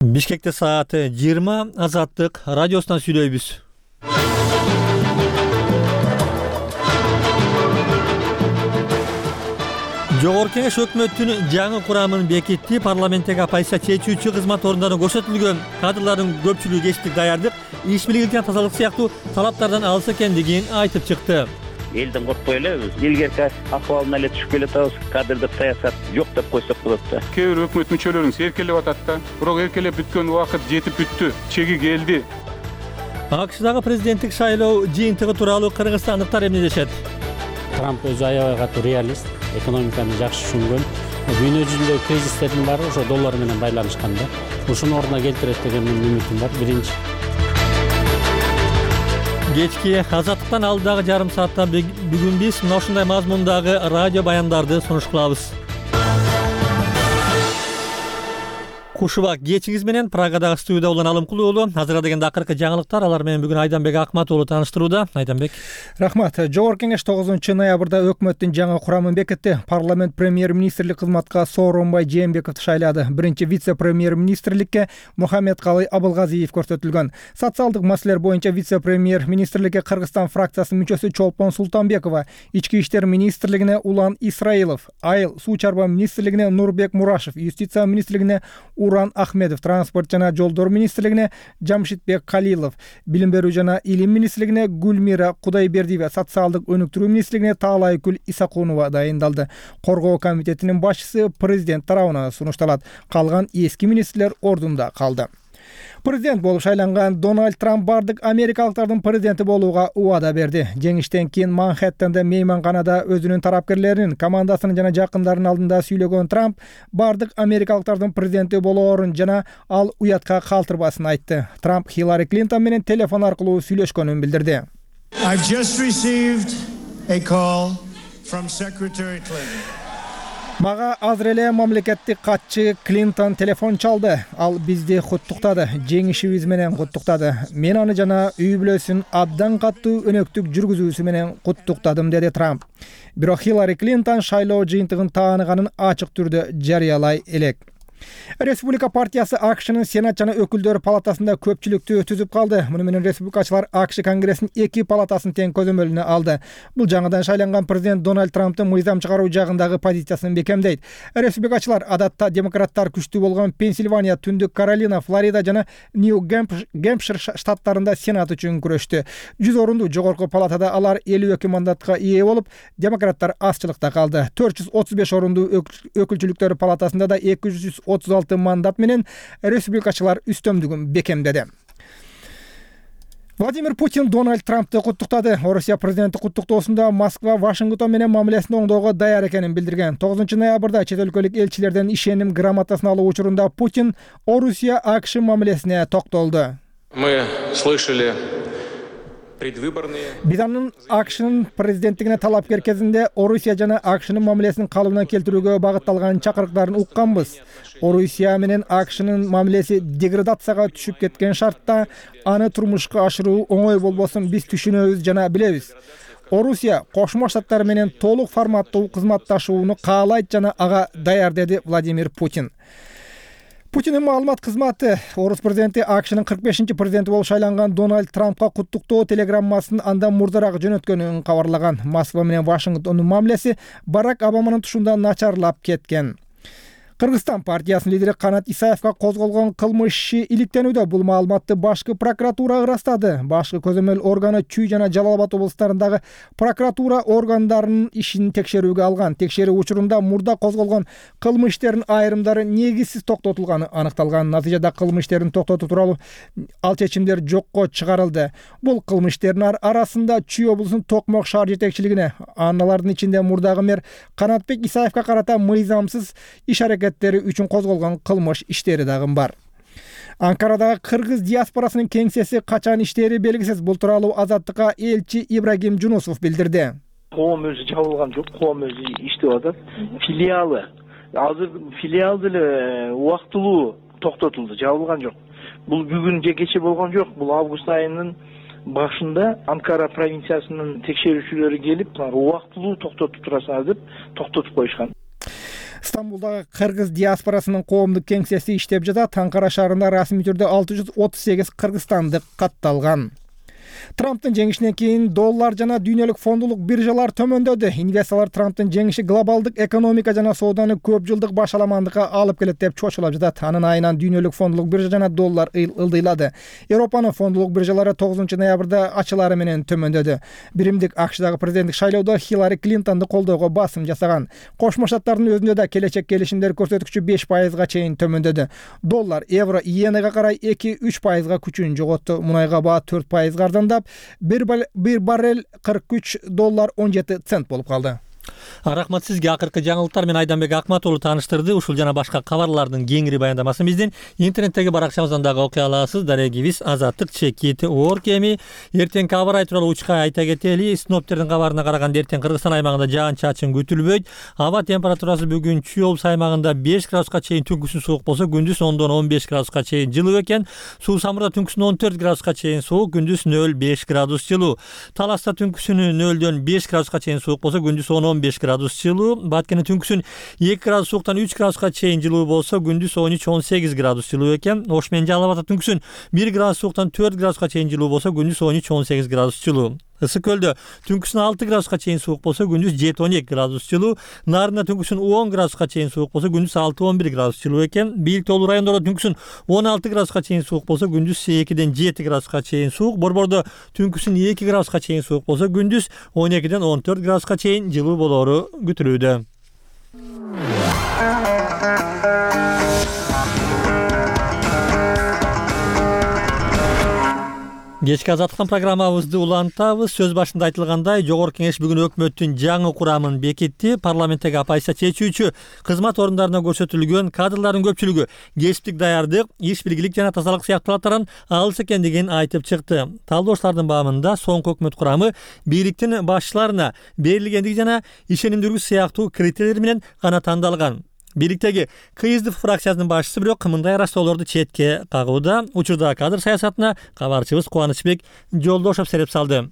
Бишкекте саат 20 Азаттык радиосунан сүйлөйбүз. Жогорку Кеңеш өкмөттүн жаңы курамын бекитти. Парламенттеги оппозиция чечүүчү кызмат орундарына көрсөтүлгөн кадрлардын көпчүлүгү кечтик даярдык, иш бийлиги, тазалык сыяктуу талаптардан алыс экендигин айтып чыкты. Элден коркпой элебиз. Илгерки акыбалына эле түшүп келатабыз. Кадрлык саясат жок деп койсок болот да. Кээ бир өкмөт мүчөлөрүн эркелеп атат да. Бирок эркелеп бүткөн убакыт жетип бүттү. Чеги келди. АКШдагы президенттик шайлоо жыйынтыгы тууралуу кыргызстандыктар эмне дешет? Трамп өзү аябай катуу реалист, экономиканы жакшы түшүнгөн. Дүйнө жүзүндөгү кризистердин баары ошо доллар менен байланышкан да. Ушуну ордуна келтирет деген үмүтүм бар. Биринчи. Кечки Азаттыктан алдыдагы жарым саатта бүгүн биз мына ушундай мазмундагы радио баяндарды сунуш кылабыз. Кушубак кечиңиз менен Прагадагы студияда улан Алымкул уулу. Азыркы дегенде акыркы жаңылыктар, алар менен бүгүн Айданбек Акмат уулу тааныштырууда. Айданбек. Рахмат. Жогорку Кеңеш 9-ноябрда өкмөттүн жаңы курамын бекитти. Парламент премьер-министрлик кызматка Сооронбай Жээнбековду шайлады. Биринчи вице-премьер-министрликке Мухаммедкалый Абылгазиев көрсөтүлгөн. Социалдык маселелер боюнча вице-премьер-министрликке Кыргызстан фракциясынын мүчөсү Чолпон Султанбекова, Ички иштер министрлигине Улан Исраилов, Айыл суу чарба министрлигине Нурбек Мурашев, Юстиция министрлигине Уран Ахмедов, Транспорт жана жолдор министрлигине Жамшитбек Калилов, Билим берүү жана илим министрлигине Гүлмира Кудайбердиева, Социалдык өнүктүрүү министрлигине Таалайкүл Исакунова дайындалды. Коргоо комитетинин башчысы президент тарабынан сунушталат. Калган эски министрлер ордунда калды. Президент болуп шайланган Дональд Трамп бардык америкалыктардын президенти болууга убада берди. Жеңиштен кийин Манхэттенде мейманканада өзүнүн тарапкерлеринин, командасынын жана жакындарынын алдында сүйлөгөн Трамп бардык америкалыктардын президенти болоорун жана ал уятка калтырбасын айтты. Трамп Хиллари Клинтон менен телефон аркылуу сүйлөшкөнүн билдирди. I've just received a call from Secretary Clinton. Мага азыр эле мамлекеттик катчы Клинтон телефон чалды. Ал бизди куттуктады, жеңишибиз менен куттуктады. Мен аны жана үй бүлөсүн абдан катуу өнөктүк жүргүзүүсү менен куттуктадым, деди Трамп. Бирок Хиллари Клинтон шайлоо жыйынтыгын тааныганын ачык түрдө жарыялай элек. Республика партиясы АКШнын Сенат жана өкүлдөр палатасында көпчүлүктү түзүп калды. Муну менен республикачылар АКШ Конгрессинин 2 палатасын тең көзөмөлүнө алды. Бул жаңыдан шайланган президент Дональд Трамптын мыйзам чыгаруу жагындагы позициясын бекемдейт. Республикачылар адатта демократтар күчтүү болгон Пенсильвания, Түндүк Каролина, Флорида жана Нью-Гэмпшир штаттарында Сенат үчүн күрөштү. 100 орунду жогорку палатада алар 52 мандатка ээ болуп, демократтар азчылыкта калды. 435 орунду өкүлчүлүктөр палатасында да 236 мандат менен республикачылар үстөмдүгүн бекемдеди. Владимир Путин Дональд Трампты куттуктады. Орусия президенти куттуктоосунда Москва Вашингтон менен мамилесин оңдоого даяр экенин билдирген. 9-ноябрда чет өлкөлүк элчилерден ишеним грамотасын алуу учурунда Путин Орусия АКШ мамилесине токтолду. Мы слышали Биз анын АКШнын президенттигине талапкер кезинде Орусия жана АКШнын мамилесин калыбына келтирүүгө багытталган чакырыктарын укканбыз. Орусия менен АКШнын мамилеси деградацияга түшүп кеткен шартта аны турмушка ашыруу оңой болбосун биз түшүнөбүз жана билебиз. Орусия Кошмо Штаттар менен толук форматтуу кызматташууну каалайт жана ага даяр, деди Владимир Путин. Путиндин маалымат кызматы Орус президенти АКШнын 45-чи президенти болуп шайланган Дональд Трампка куттуктоо телеграммасын андан мурдараак жөнөткөнүн кабарлаган. Москва менен Вашингтондун мамилеси Барак Обаманын тушунда начарлап кеткен. Кыргызстан партиясынын лидери Канат Исаевка козголгон кылмыш иши иликтенүүдө. Бул маалыматты башкы прокуратура ырастады. Башкы көзөмөл органы Чүй жана Жалал Абад облустарындагы прокуратура органдарынын ишин текшерүүгө алган. Текшерүү учурунда мурда козголгон кылмыш иштеринин айрымдары негизсиз токтотулганы аныкталган. Натыйжада кылмыш иштерин токтотуу тууралуу ал чечимдер жокко чыгарылды. Бул кылмыш иштеринин арасында Чүй облусунун Токмок шаар жетекчилигине, аналардын ичинде мурдагы мэр Канатбек Исаевка карата мыйзамсыз иш үчүн козголгон кылмыш иштери дагы бар. Анкарадагы кыргыз диаспорасынын кеңсеси качан иштери белгисиз. Бул тууралуу Азаттыкка элчи Ибрагим Жунусов билдирди. Коом өзү жабылган жок, коом өзү иштеп атат. Филиалы азыр филиал деле убактылуу токтотулду, жабылган жок. Бул бүгүн же кече болгон жок. Бул август айынын башында Анкара провинциясынын текшерүүчүлөрү келип, убактылуу токтотуп турасыңар деп токтотуп коюшкан. Стамбулдагы кыргыз диаспорасынын коомдук кеңсеси иштеп жатат. Анкара шаарында расмий түрдө 638 кыргызстандык катталган. Трамптын жеңишинен кийин доллар жана дүйнөлүк фондулук биржалар төмөндөдү. Инвесторлор Трамптын жеңиши глобалдык экономика жана сооданы көп жылдык башаламандыкка алып келет деп чочулап жатат. Анын айынан дүйнөлүк фондулук биржа жана доллар ылдыйлады. Европанын фондулук биржалары 9 ноябрда ачылары менен төмөндөдү. Биримдик АКШдагы президенттик шайлоодо Хиллари Клинтонду колдоого басым жасаган. Кошмо Штаттардын өзүндө да келечек келишимдер көрсөткүчү 5%га чейин төмөндөдү. Доллар, евро, иенеге карай 2-3%га күчүн жоготту. Мунайга баа 4%га ардандап, bir barrel $43.17 болуп калды. Рахмат сизге. Акыркы жаңылыктар менен Айданбек Акматову тааныштырды. Ушул жана башка кабарлардын кеңири баяндамасын биздин интернеттеги баракчабыздан дагы окуй аласыз. Дарегибиз azatlyk.org. Эми эртеңки аба ырайы тууралуу учка айта кетели. Синоптиктердин кабарына караганда эртең Кыргызстан аймагында жаан-чачын күтүлбөйт. Аба температурасы бүгүн Чүй облусу аймагында 5 градуска чейин түнкүсүн суук болсо, күндүз 10-15 градуска чейин жылуу экен. Суу Самурда түнкүсүн 14 градуска чейин суук, күндүз 0-5 градус жылуу. Таласта түнкүсүн 0-дөн 5 градуска чейин суук болсо, күндүз 10-15 градус жылуу. Баткенде түнкүсүн 2 градус сууктан 3 градуска чейин жылуу болсо, күндүз 13-18 градус жылуу экен. Ош менен Жалал Абадда түнкүсүн 1 градус сууктан 4 градуска чейин жылуу болсо, күндүз 13-18 градус жылуу. Ысык көлдө түнкүсүн 6 градуска чейин суук болсо, күндүз 7-12 градус жылуу. Нарында түнкүсүн 10 градуска чейин суук болсо, күндүз 6-11 градус жылуу экен. Бийик тоолуу райондордо түнкүсүн 16 градуска чейин суук болсо, күндүз 2-ден 7 градуска чейин суук. Борбордо түнкүсүн 2 градуска чейин суук болсо, күндүз 12-ден 14 градуска чейин жылуу болору күтүлүүдө. Кечки азаттыктан программабызды улантабыз. Сөз башында айтылгандай, Жогорку Кеңеш бүгүн өкмөттүн жаңы курамын бекитти. Парламенттеги оппозиция чечүүчү кызмат орундарына көрсөтүлгөн кадрлардын көпчүлүгү кесиптик даярдык, иш билгилик жана тазалык сыяктуу талаптардан алыс экендигин айтып чыкты. Талдоочлордун баамында соңку өкмөт курамы бийликтин башчыларына берилгендиги жана ишенимдүүлүк сыяктуу критерийлер менен гана тандалган. Бийликтеги КСДП фракциясынын башчысы бирок мындай ырастоолорду четке кагууда. Учурда кадр саясатына кабарчыбыз Кубанычбек Жолдошов сереп салды.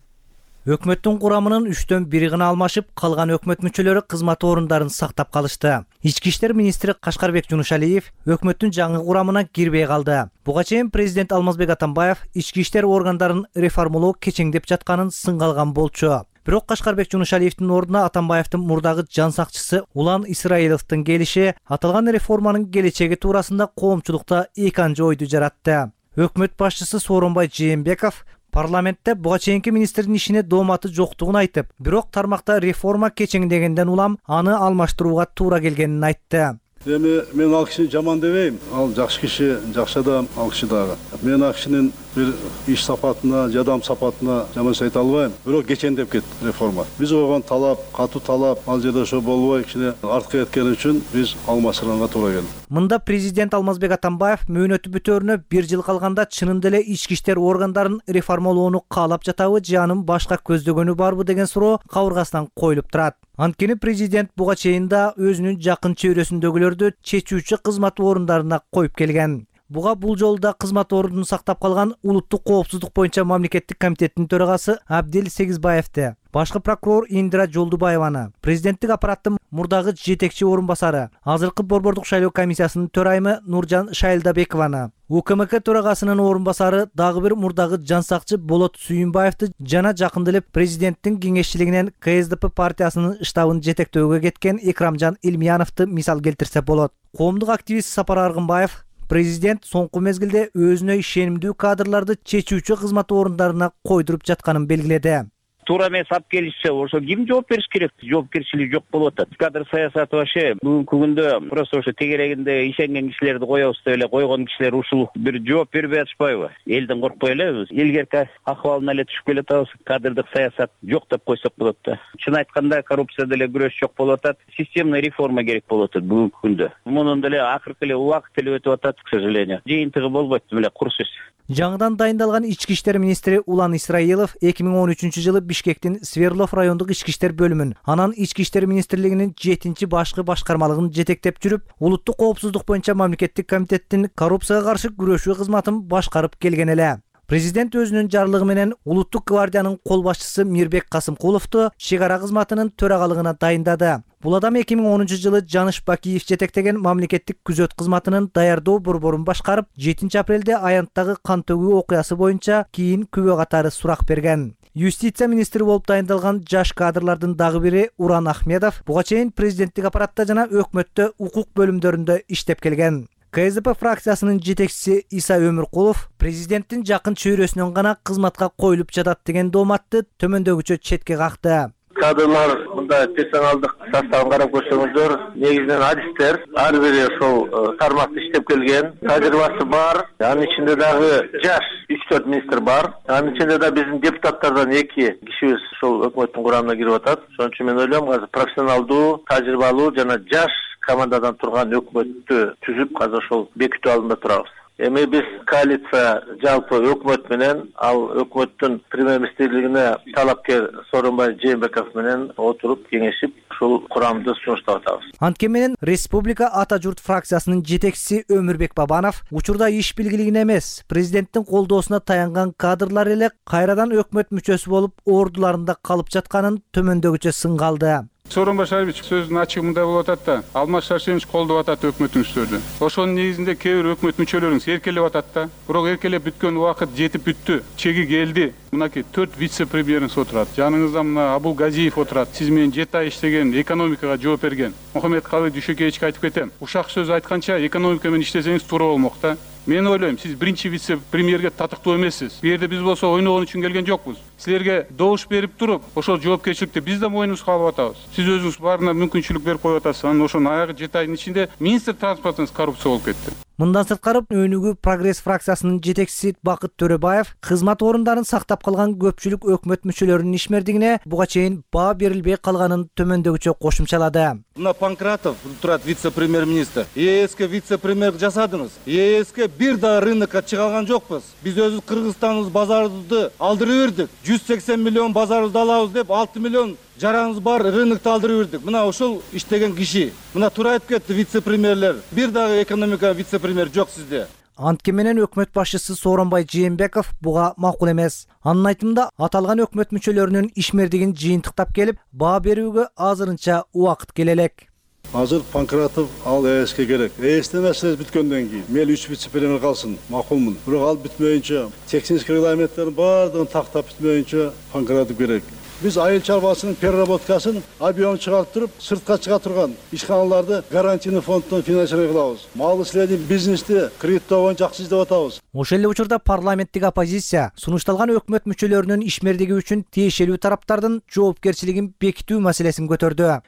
Өкмөттүн курамынын 3/1 гана алмашып, калган өкмөт мүчөлөрү кызмат орундарын сактап калышты. Ички иштер министри Кашкарбек Жунушалиев өкмөттүн жаңы курамына кирбей калды. Буга чейин президент Алмазбек Атамбаев ички иштер органдарын реформалоо кечеңдеп жатканын сынга алган болчу. Бирок Кашкарбек Жунушалиевдин ордуна Атамбаевдин мурдагы жан сакчысы Улан Исраиловдун келиши аталган реформанын келечеги туурасында коомчулукта эки анча ойду жаратты. Өкмөт башчысы Сооронбай Жээнбеков парламентте буга чейинки министрдин ишине дооматы жоктугун айтып, бирок тармакта реформа кечеңдегенден улам аны алмаштырууга туура келгенин айтты. Эми мен ал кишини жаман дебейм. Ал жакшы киши, жакшы адам, ал киши дагы. Мен ал кишинин бир иш сапатына, жадам сапатына жаман айта албайм. Бирок кечендеп кетти реформа. Биз койгон талап, катуу талап, ал жерде ошо болбой кичине артка кеткени үчүн биз алмаштырганга туура келди. Мында президент Алмазбек Атамбаев мөөнөтү бүтөөрүнө 1 жыл калганда чынында эле ички иштер органдарын реформалоону каалап жатабы же анын башка көздөгөнү барбы деген суроо кабыргасынан коюлуп турат. Анткени президент буга чейин да өзүнүн жакын чөйрөсүндөгүлөрдү чечүүчү кызмат орундарына коюп келген. Буга бул жолу да кызмат ордун сактап калган Улуттук коопсуздук боюнча мамлекеттик комитеттин төрагасы Абдил Сегизбаевди, башкы прокурор Индира Жолдубаеваны, президенттик аппараттын мурдагы жетекчи орун басары, азыркы борбордук шайлоо комиссиясынын төрайымы Нуржан Шайлдабекованы, УКМК төрагасынын орун басары дагы бир мурдагы жан сакчы Болот Сүйүнбаевди жана жакында эле президенттин кеңешчилигинен КСДП партиясынын штабын жетектөөгө кеткен Экрамжан Илмияновду мисал келтирсе болот. Коомдук активист Сапар Аргынбаев президент соңку мезгилде өзүнө ишенимдүү кадрларды чечүүчү кызмат орундарына койдуруп жатканын белгиледи. Туура эмес алып келишсе, ошо ким жооп бериш керек? Жоопкерчилик жок болуп атат. Кадр саясаты вообще бүгүнкү күндө просто ошо тегерегинде ишенген кишилерди коебуз деп эле койгон кишилер ушул бир жооп бербей атышпайбы? Элден коркпой элебиз. Илгерки акыбалына эле түшүп келатабыз. Кадрдык саясат жок деп койсок болот да. Чын айтканда коррупция деле күрөш жок болуп атат. Системный реформа керек болуп атат бүгүнкү күндө. Мунун деле акыркы эле убакыт деле өтүп атат, к сожалению. Жыйынтыгы болбойт деле кур сөз. Жаңыдан дайындалган ички иштер министри Улан Исраилов 2013-жылы Бишкектин Сверлов райондук ички иштер бөлүмүн, анан ички иштер министрлигинин 7-чи башкы башкармалыгын жетектеп жүрүп, Улуттук коопсуздук боюнча мамлекеттик комитеттин коррупцияга каршы күрөшүү кызматын башкарып келген эле. Президент өзүнүн жарлыгы менен Улуттук гвардиянын кол башчысы Мирбек Касымкуловду чек ара кызматынын төрагалыгына дайындады. Бул адам 2010-жылы Жаныш Бакиев жетектеген мамлекеттик күзөт кызматынын даярдоо борборун башкарып, 7 апрелде аянттагы кан төгүү окуясы боюнча кийин күбө катары сурак берген. Юстиция министри болуп дайындалган жаш кадрлардын дагы бири Уран Ахмедов буга чейин президенттик аппаратта жана өкмөттө укук бөлүмдөрүндө иштеп келген. КСДП фракциясынын жетекчиси Иса Өмүркулов президенттин жакын чөйрөсүнөн гана кызматка коюлуп жатат деген дооматты төмөндөгүчө четке какты. Кадрлар мында персоналдык составын карап көрсөңүздөр, негизинен адистер, ар бири ошол тармакта иштеп келген, тажрыйбасы бар. Анын ичинде дагы жаш 3-4 министр бар. Анын ичинде да биздин депутаттардан 2 кишибиз ошол өкмөттүн курамына кирип атат. Ошон үчүн мен ойлойм, азыр профессионалдуу, тажрыйбалуу жана жаш командадан турган өкмөттү түзүп, азыр ошол бекитүү алдында турабыз. Эми биз коалиция жалпы өкмөт менен, ал өкмөттүн премьер-министрлигине талапкер Сооронбай Жээнбеков менен отуруп кеңешип, ушул курамды сунуштап атабыз. Анткени менен Республика Ата журт фракциясынын жетекчиси Өмүрбек Бабанов учурда иш билгилигине эмес, президенттин колдоосуна таянган кадрлар эле кайрадан өкмөт мүчөсү болуп ордуларында калып жатканын төмөндөгүчө сынга алды. Сооронбай Шарипович сөзүнүн ачыгында болуп атат да, Алмаз Шаршенович колдоп атат өкмөтүңүздөрдү. Ошонун негизинде кээ бир өкмөт мүчөлөрүңүз эркелеп атат да. Бирок эркелеп бүткөн убакыт жетип бүттү. Чеги келди. Мынакей 4 вице-премьериңиз отурат. Жаныңызда мына Абул Газиев отурат. Сиз менен 7 ай иштеген, экономикага жооп берген. Мухаммед Калый Дүйшөкеевичке айтып кетем. Ушак сөз айтканча экономика менен иштесеңиз туура болмок да. Мен ойлойм, сиз биринчи вице-премьерге татыктуу эмессиз. Бу жерде биз болсо ойногон үчүн келген жокпуз. Силерге добуш берип туруп, ошол жоопкерчиликти биз да мойнубузга алып атабыз. Сиз өзүңүз баарына мүмкүнчүлүк берип коюп атасыз. Анан ошонун аягы 7 айдын ичинде министр транспортуңуз коррупция болуп кетти. Мындан сырткары Өнүгүү Прогресс фракциясынын жетекчиси Бакыт Төрөбаев кызмат орундарын сактап калган көпчүлүк өкмөт мүчөлөрүнүн ишмердигине буга чейин баа берилбей калганын төмөндөгүчө кошумчалады. Мына Панкратов турат вице-премьер-министр. ЕСК вице-премьер жасадыңыз. ЕСК бир да рынокко чыга алган жокпуз. Биз өзүбүз Кыргызстаныбыз базарды алдырып бердик. 180 миллион базарыбызды алабыз деп 6 миллион жараңыз бар рынокту алдырып бердик. Мына ошол иштеген киши. Мына туура айтып кетти вице-премьерлер. Бир дагы экономика вице-премьер жок сизде. Анткени менен өкмөт башчысы Сооронбай Жээнбеков буга макул эмес. Анын айтымында аталган өкмөт мүчөлөрүнүн ишмердигин жыйынтыктап келип, баа берүүгө азырынча убакыт келе элек. Азыр Панкратов ал ЭСК керек. ЭСК маселеси бүткөндөн кийин мели 3 вице-премьер калсын, макулмун. Бирок ал бүтмөйүнчө, техник регламенттердин баардыгын тактап бүтмөйүнчө Панкратов керек. Биз айыл чарбасынын переработкасын объем чыгарып туруп, сыртка чыга турган ишканаларды гарантийный фонддон финансирование кылабыз. Мал ишленип бизнести кредиттоого жакшы издеп атабыз. Ошол эле учурда парламенттик оппозиция сунушталган өкмөт мүчөлөрүнүн ишмердиги үчүн тиешелүү тараптардын жоопкерчилигин бекитүү маселесин көтөрдү.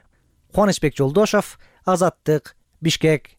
Кубанычбек Жолдошов, Азаттык, Бишкек.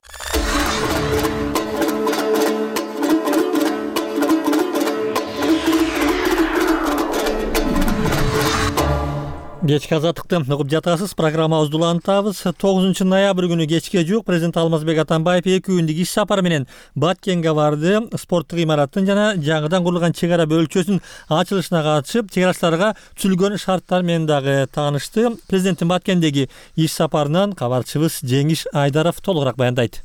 Кечки азаттыкты угуп жатасыз. Программабызды улантабыз. 9 ноябрь күнү кечке жуук президент Алмазбек Атамбаев 2 күндүк иш сапары менен Баткенге барды. Спорттук имараттын жана жаңыдан курулган чек ара бөлчөсүнүн ачылышына катышып, чек арачыларга түзүлгөн шарттар менен дагы таанышты. Президенттин Баткендеги иш сапарынан кабарчыбыз Жеңиш Айдаров толугураак баяндайт.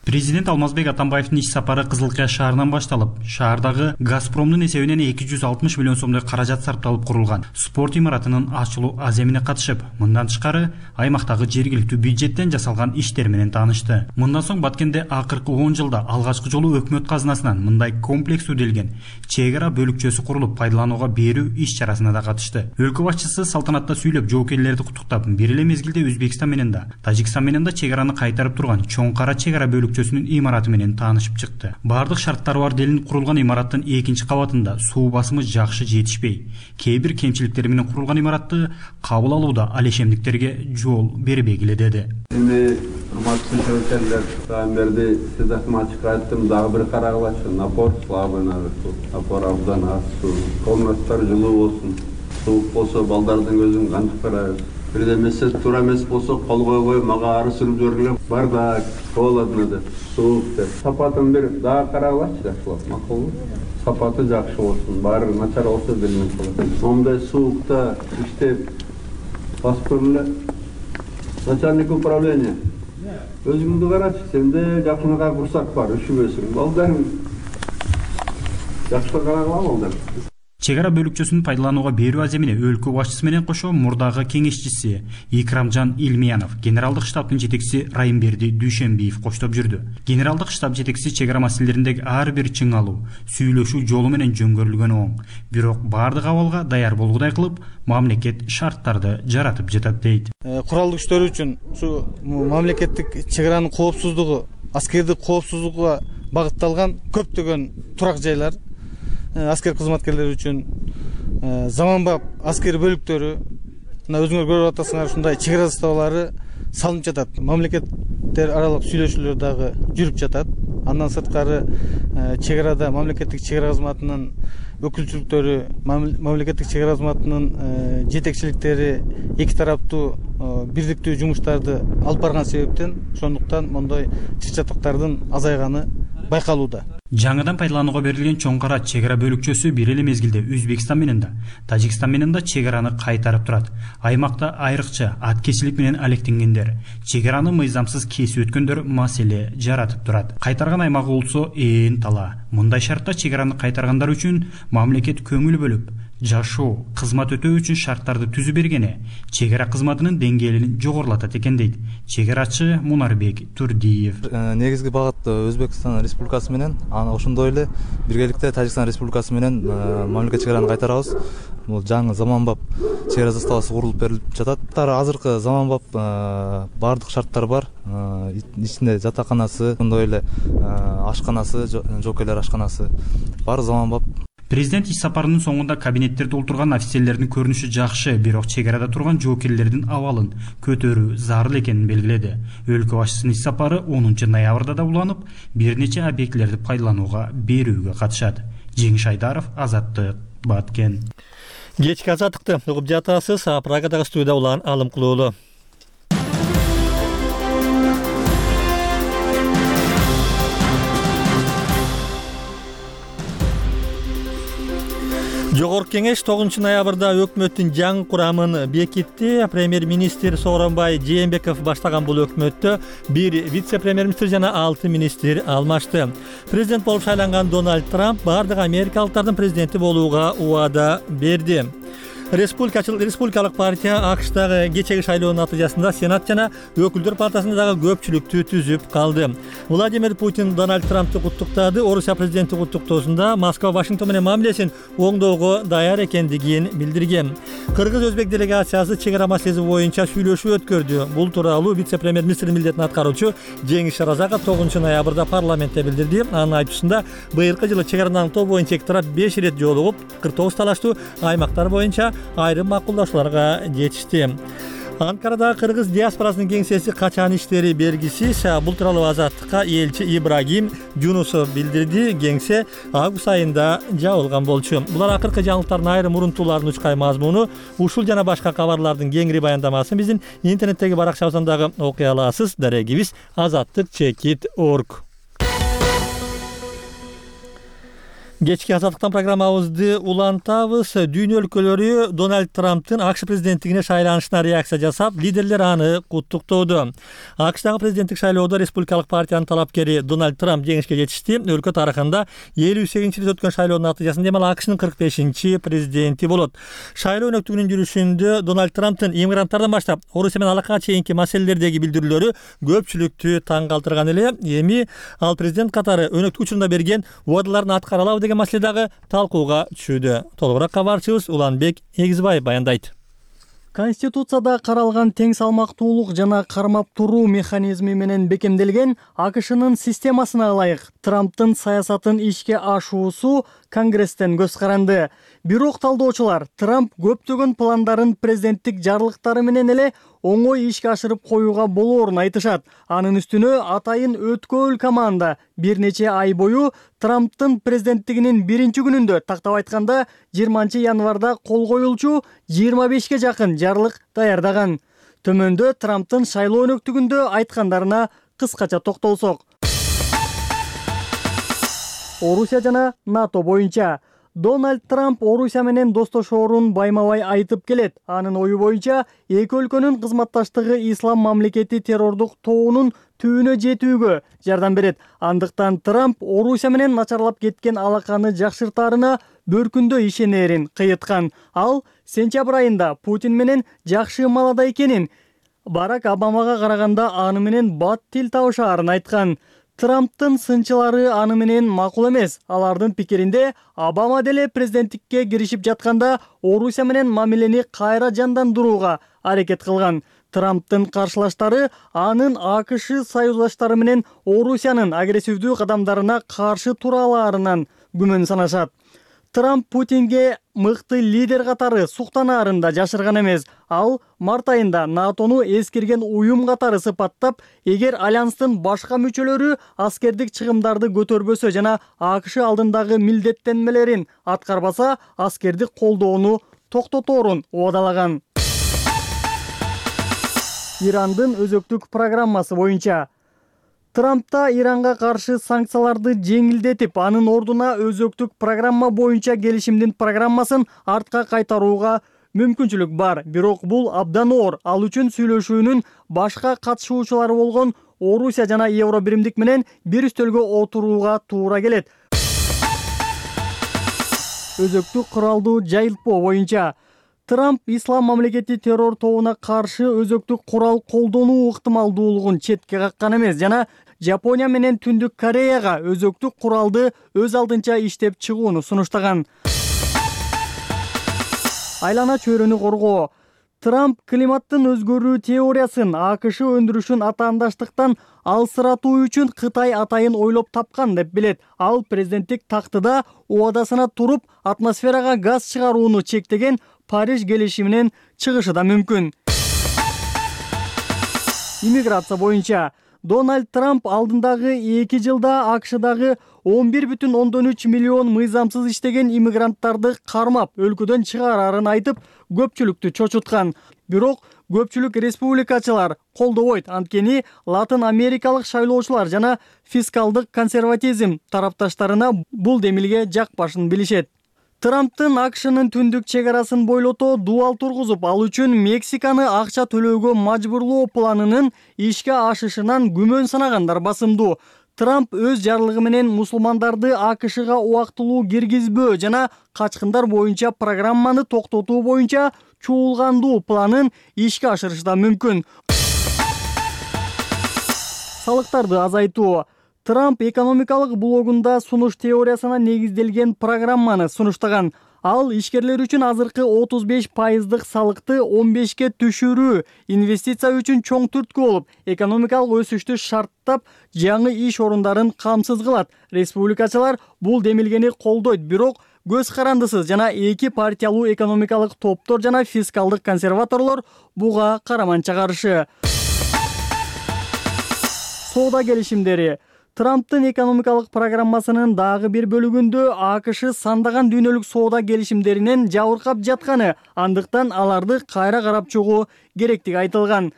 Президент Алмазбек Атамбаевдин иш сапары Кызыл Кыя шаарынан башталып, шаардагы Газпромдун эсебинен 260 миллион сомдой каражат сарпталып курулган спорт имаратынын ачылуу аземине катышып, мындан тышкары аймактагы жергиликтүү бюджеттен жасалган иштер менен таанышты. Мындан соң Баткенде акыркы 10 жылда алгачкы жолу өкмөт казынасынан мындай комплекс өделген чек ара бөлүкчөсү курулуп пайдаланууга берүү иш чарасына да катышты. Өлкө башчысы салтанатта сүйлөп жоокерлерди куттуктап, бир эле мезгилде Өзбекстан менен да, Тажикстан менен да чек араны кайтарып турган чоң кара чек ара бөлүкчөсүнүн имараты менен таанышып чыкты. Бардык шарттары бар делинип курулган имараттын 2-чи кабатында суу басымы жакшы жетишпей, кээ бир кемчиликтери менен курулган имаратты кабыл алууда алешемдиктерге жол бербей келеди. Эми урматтуу жоокерлер, берди сиздердин ачык айттым, дагы бир карагылачы, напор слабый, напор абдан аз, комнаттар жылуу болсун, суук болсо балдардын көзүн кантип карайбыз. Бир эмесе туура эмес болсо кол койбой мага ары сүрүп жибергиле. Бардак холодно деп, суук деп. Сапатын бир дагы карагылачы, жакшылап, макулбу? Сапаты жакшы болсун, баары начар болсо билинип калат. Момундай суукта иштеп басып көргүлө. Начальник управления. Өзүңдү карачы, сенде жакыныга курсак бар, үшүбөсүң. Балдарың жакшы карагыла болду. Чек ара бөлүкчөсүн пайдаланууга берүү аземине өлкө башчысы менен кошо мурдагы кеңешчиси Икрамжан Илмиянов, генералдык штабтын жетекчиси Райымберди Дүйшөнбиев коштоп жүрдү. Генералдык штаб жетекчиси чек ара маселелериндеги ар бир чыңалуу, сүйлөшүү жолу менен жөнгөрүлгөнү оң. Бирок бардык абалга даяр болгудай кылып, мамлекет шарттарды жаратып жатат дейт. Куралдуу күчтөр үчүн ушу мамлекеттик чек аранын коопсуздугу, аскердик коопсуздукка багытталган көптөгөн турак жайлар, аскер кызматкерлери үчүн заманбап аскер бөлүктөрү, мына өзүңөр көрүп атасыңар, ушундай чек ара заставалары салынып жатат. Мамлекеттер аралык сүйлөшүүлөр дагы жүрүп жатат. Андан сырткары чек арада мамлекеттик чек ара кызматынын өкүлчүлүктөрү, мамлекеттик чек ара кызматынын жетекчиликтери эки тараптуу бирдиктүү жумуштарды алып барган себептен ошондуктан мондой чыр-чатыктардын азайганы байкалууда. Жаңыдан пайдаланууга берилген чоң кара чек ара бөлүкчөсү бир эле мезгилде Өзбекстан менен да, Тажикстан менен да чек араны кайтарып турат. Аймакта айрыкча аткечилик менен алектенгендер, чек араны мыйзамсыз кесип өткөндөр маселе жаратып турат. Кайтарган аймагы болсо ээн тала. Мындай шартта чек араны кайтаргандар үчүн мамлекет көңүл бөлүп, жашоо, кызмат өтөө үчүн шарттарды түзүп бергени чек ара кызматынын деңгээлин жогорулатат экен дейт чек арачы Мунарбек Турдиев. Негизги багыт Өзбекстан Республикасы менен, аны ошондой эле биргеликте Тажикстан Республикасы менен мамлекет чек араны кайтарабыз. Бул жаңы заманбап чек ара заставасы курулуп берилип жатат. Азыркы заманбап бардык шарттар бар. Ичинде жатаканасы, ошондой эле ашканасы, жоокерлер ашканасы бар заманбап. Президент иш сапарынын соңунда кабинеттерди олтурган офицерлердин көрүнүшү жакшы, бирок чек арада турган жоокерлердин абалын көтөрүү зарыл экенин белгиледи. Өлкө башчысынын иш сапары 10 ноябрда да уланып, бир нече объектилерди пайдаланууга берүүгө катышат. Жеңиш Айдаров, Азаттык, Баткен. Кечки азаттыкты угуп жатасыз. Прагадагы студияда улан Алым Кулуулу. Жогорку кеңеш 9 ноябрда өкмөттүн жаңы курамын бекитти. Премьер-министр Сооронбай Жээнбеков баштаган бул өкмөттө бир вице-премьер-министр жана 6 министр алмашты. Президент болуп шайланган Дональд Трамп бардык америкалыктардын президенти болууга убада берди. Республикалык партия АКШдагы кечеги шайлоонун натыйжасында Сенат жана Өкүлдөр палатасында дагы көпчүлүктү түзүп калды. Владимир Путин Дональд Трампты куттуктады. Орусия президенти куттуктоосунда Москва Вашингтон менен мамилесин оңдоого даяр экендигин билдирген. Кыргыз-өзбек делегациясы чек ара маселеси боюнча сүйлөшүү өткөрдү. Бул тууралуу вице-премьер-министрдин милдетин аткаруучу Жеңиш Шаразаков 9 ноябрда парламентте билдирди. Анын айтуусунда быйылкы жылы чек араны аңтоо боюнча эки тарап 5 ирет жолугуп, 49 талаштуу аймактар боюнча айрым макулдашууларга жетишти. Анкарадагы кыргыз диаспорасынын кеңсеси качан иштери белгисиз. Бул тууралуу Азаттыкка элчи Ибрагим Жунусов билдирди. Кеңсе август айында жабылган болчу. Булар акыркы жаңылыктардын айрым урунтууларынын учкай мазмуну. Ушул жана башка кабарлардын кеңири баяндамасын биздин интернеттеги баракчабыздан дагы окуй аласыз. Дарегибиз azattik.org. Кечки азаттыктан программабызды улантабыз. Дүйнө өлкөлөрү Дональд Трамптын АКШ президенттигине шайланышына реакция жасап, лидерлер аны куттуктооду. АКШдагы президенттик шайлоодо республикалык партиянын талапкери Дональд Трамп жеңишке жетишти. Өлкө тарыхында 58-рет өткөн шайлоонун натыйжасында демек АКШнын 45-чи президенти болот. Шайлоо өнөктүгүнүн жүрүшүндө Дональд Трамптын иммигранттардан баштап Орусия менен алакага чейинки маселелердеги билдирүүлөрү көпчүлүктү таң калтырган эле. Эми ал президент катары өнөктүк учурунда берген убадаларын аткара алабы деген маселе дагы талкууга түшүүдө. Толугураак кабарчыбыз Уланбек Эгизбаев баяндайт. Конституцияда каралган тең салмактуулук жана кармап туруу механизми менен бекемделген АКШнын системасына ылайык Трамптын саясатын ишке ашуусу Конгресстен көз каранды. Бирок талдоочулар Трамп көптөгөн пландарын президенттик жарлыктары менен эле оңой ишке ашырып коюуга болоорун айтышат. Анын үстүнө атайын өткөөл команда бир нече ай бою Трамптын президенттигинин биринчи күнүндө, тактап айтканда 20 январда кол коюлчу 25ке жакын жарлык даярдаган. Төмөндө Трамптын шайлоо өнөктүгүндө айткандарына кыскача токтолсок. Орусия жана НАТО боюнча Дональд Трамп Орусия менен достошоорун байма-бай айтып келет. Анын ою боюнча эки өлкөнүн кызматташтыгы ислам мамлекети террордук тоонун түбүнө жетүүгө жардам берет. Андыктан Трамп Орусия менен начарлап кеткен алаканы жакшыртаарына бөркүндө ишенерин кыйыткан. Ал сентябрь айында Путин менен жакшы маалада экенин, Барак Обамага караганда аны менен бат тил табышаарын айткан. Трамптын сынчылары аны менен макул эмес. Алардын пикиринде Обама деле президенттикке киришип жатканда Орусия менен мамилени кайра жандандырууга аракет кылган. Трамптын каршылаштары анын АКШ союздаштары менен Орусиянын агрессивдүү кадамдарына каршы тура алаарынан күмөн санашат. Трамп Путинге мыкты лидер катары суктанаарын да жашырган эмес. Ал март айында НАТОну эскирген уюм катары сыпаттап, эгер альянстын башка мүчөлөрү аскердик чыгымдарды көтөрбөсө жана АКШ алдындагы милдеттенмелерин аткарбаса, аскердик колдоону токтоторун убадалаган. Ирандын өзөктүк программасы боюнча Трампта Иранга каршы санкцияларды жеңилдетип, анын ордуна өзөктүк программа боюнча келишимдин программасын артка кайтарууга мүмкүнчүлүк бар. Бирок бул абдан оор. Ал үчүн сүйлөшүүнүн башка катышуучулары болгон Орусия жана Евробиримдик менен бир үстөлгө отурууга туура келет. Өзөктүк куралдуу жайылтпоо боюнча Трамп Ислам мамлекети террор тобуна каршы өзөктүк курал колдонуу ыктымалдуулугун четке каккан эмес жана Жапония менен Түндүк Кореяга өзөктүк куралды өз алдынча иштеп чыгууну сунуштаган. Айлана чөйрөнү коргоо. Трамп климаттын өзгөрүү теориясын АКШ өндүрүшүн атаандаштыктан алсыратуу үчүн Кытай атайын ойлоп тапкан деп билет. Ал президенттик тактыда убадасына туруп, атмосферага газ чыгарууну чектеген Париж келишиминен чыгышы да мүмкүн. Иммиграция боюнча Дональд Трамп алдындагы 2 жылда АКШдагы 11,3 миллион мыйзамсыз иштеген иммигранттарды кармап, өлкөдөн чыгарарын айтып, көпчүлүктү чочуткан. Бирок көпчүлүк республикачылар колдобойт. Анткени Латын Америкалык шайлоочулар жана фискалдык консерватизм тарапташтарына бул демилге жакпашын билишет. Трамптын АКШнын түндүк чегарасын бойлото дуал тургузуп, ал үчүн Мексиканы акча төлөөгө мажбурлоо планынын ишке ашышынан күмөн санагандар басымдуу. Трамп өз жарлыгы менен мусулмандарды АКШга убактылуу киргизбөө жана качкындар боюнча программаны токтотуу боюнча чуулгандуу планын ишке ашырышы да мүмкүн. Салыктарды азайтуу. Трамп экономикалык блогунда сунуш теориясына негизделген программаны сунуштаган. Ал ишкерлер үчүн азыркы 35% салыкты 15ке түшүрүү, инвестиция үчүн чоң түрткү болуп, экономикалык өсүштү шарттап, жаңы иш орундарын камсыз кылат. Республикачылар бул демилгени колдойт, бирок көз карандысыз жана эки партиялуу экономикалык топтор жана фискалдык консерваторлор буга караманча каршы. Соода келишимдери. Трамптын экономикалык программасынын дагы бир бөлүгүндө АКШ сандаган дүйнөлүк соода келишимдеринен жабыркап жатканы, андыктан аларды кайра карап чыгуу керектиги айтылган.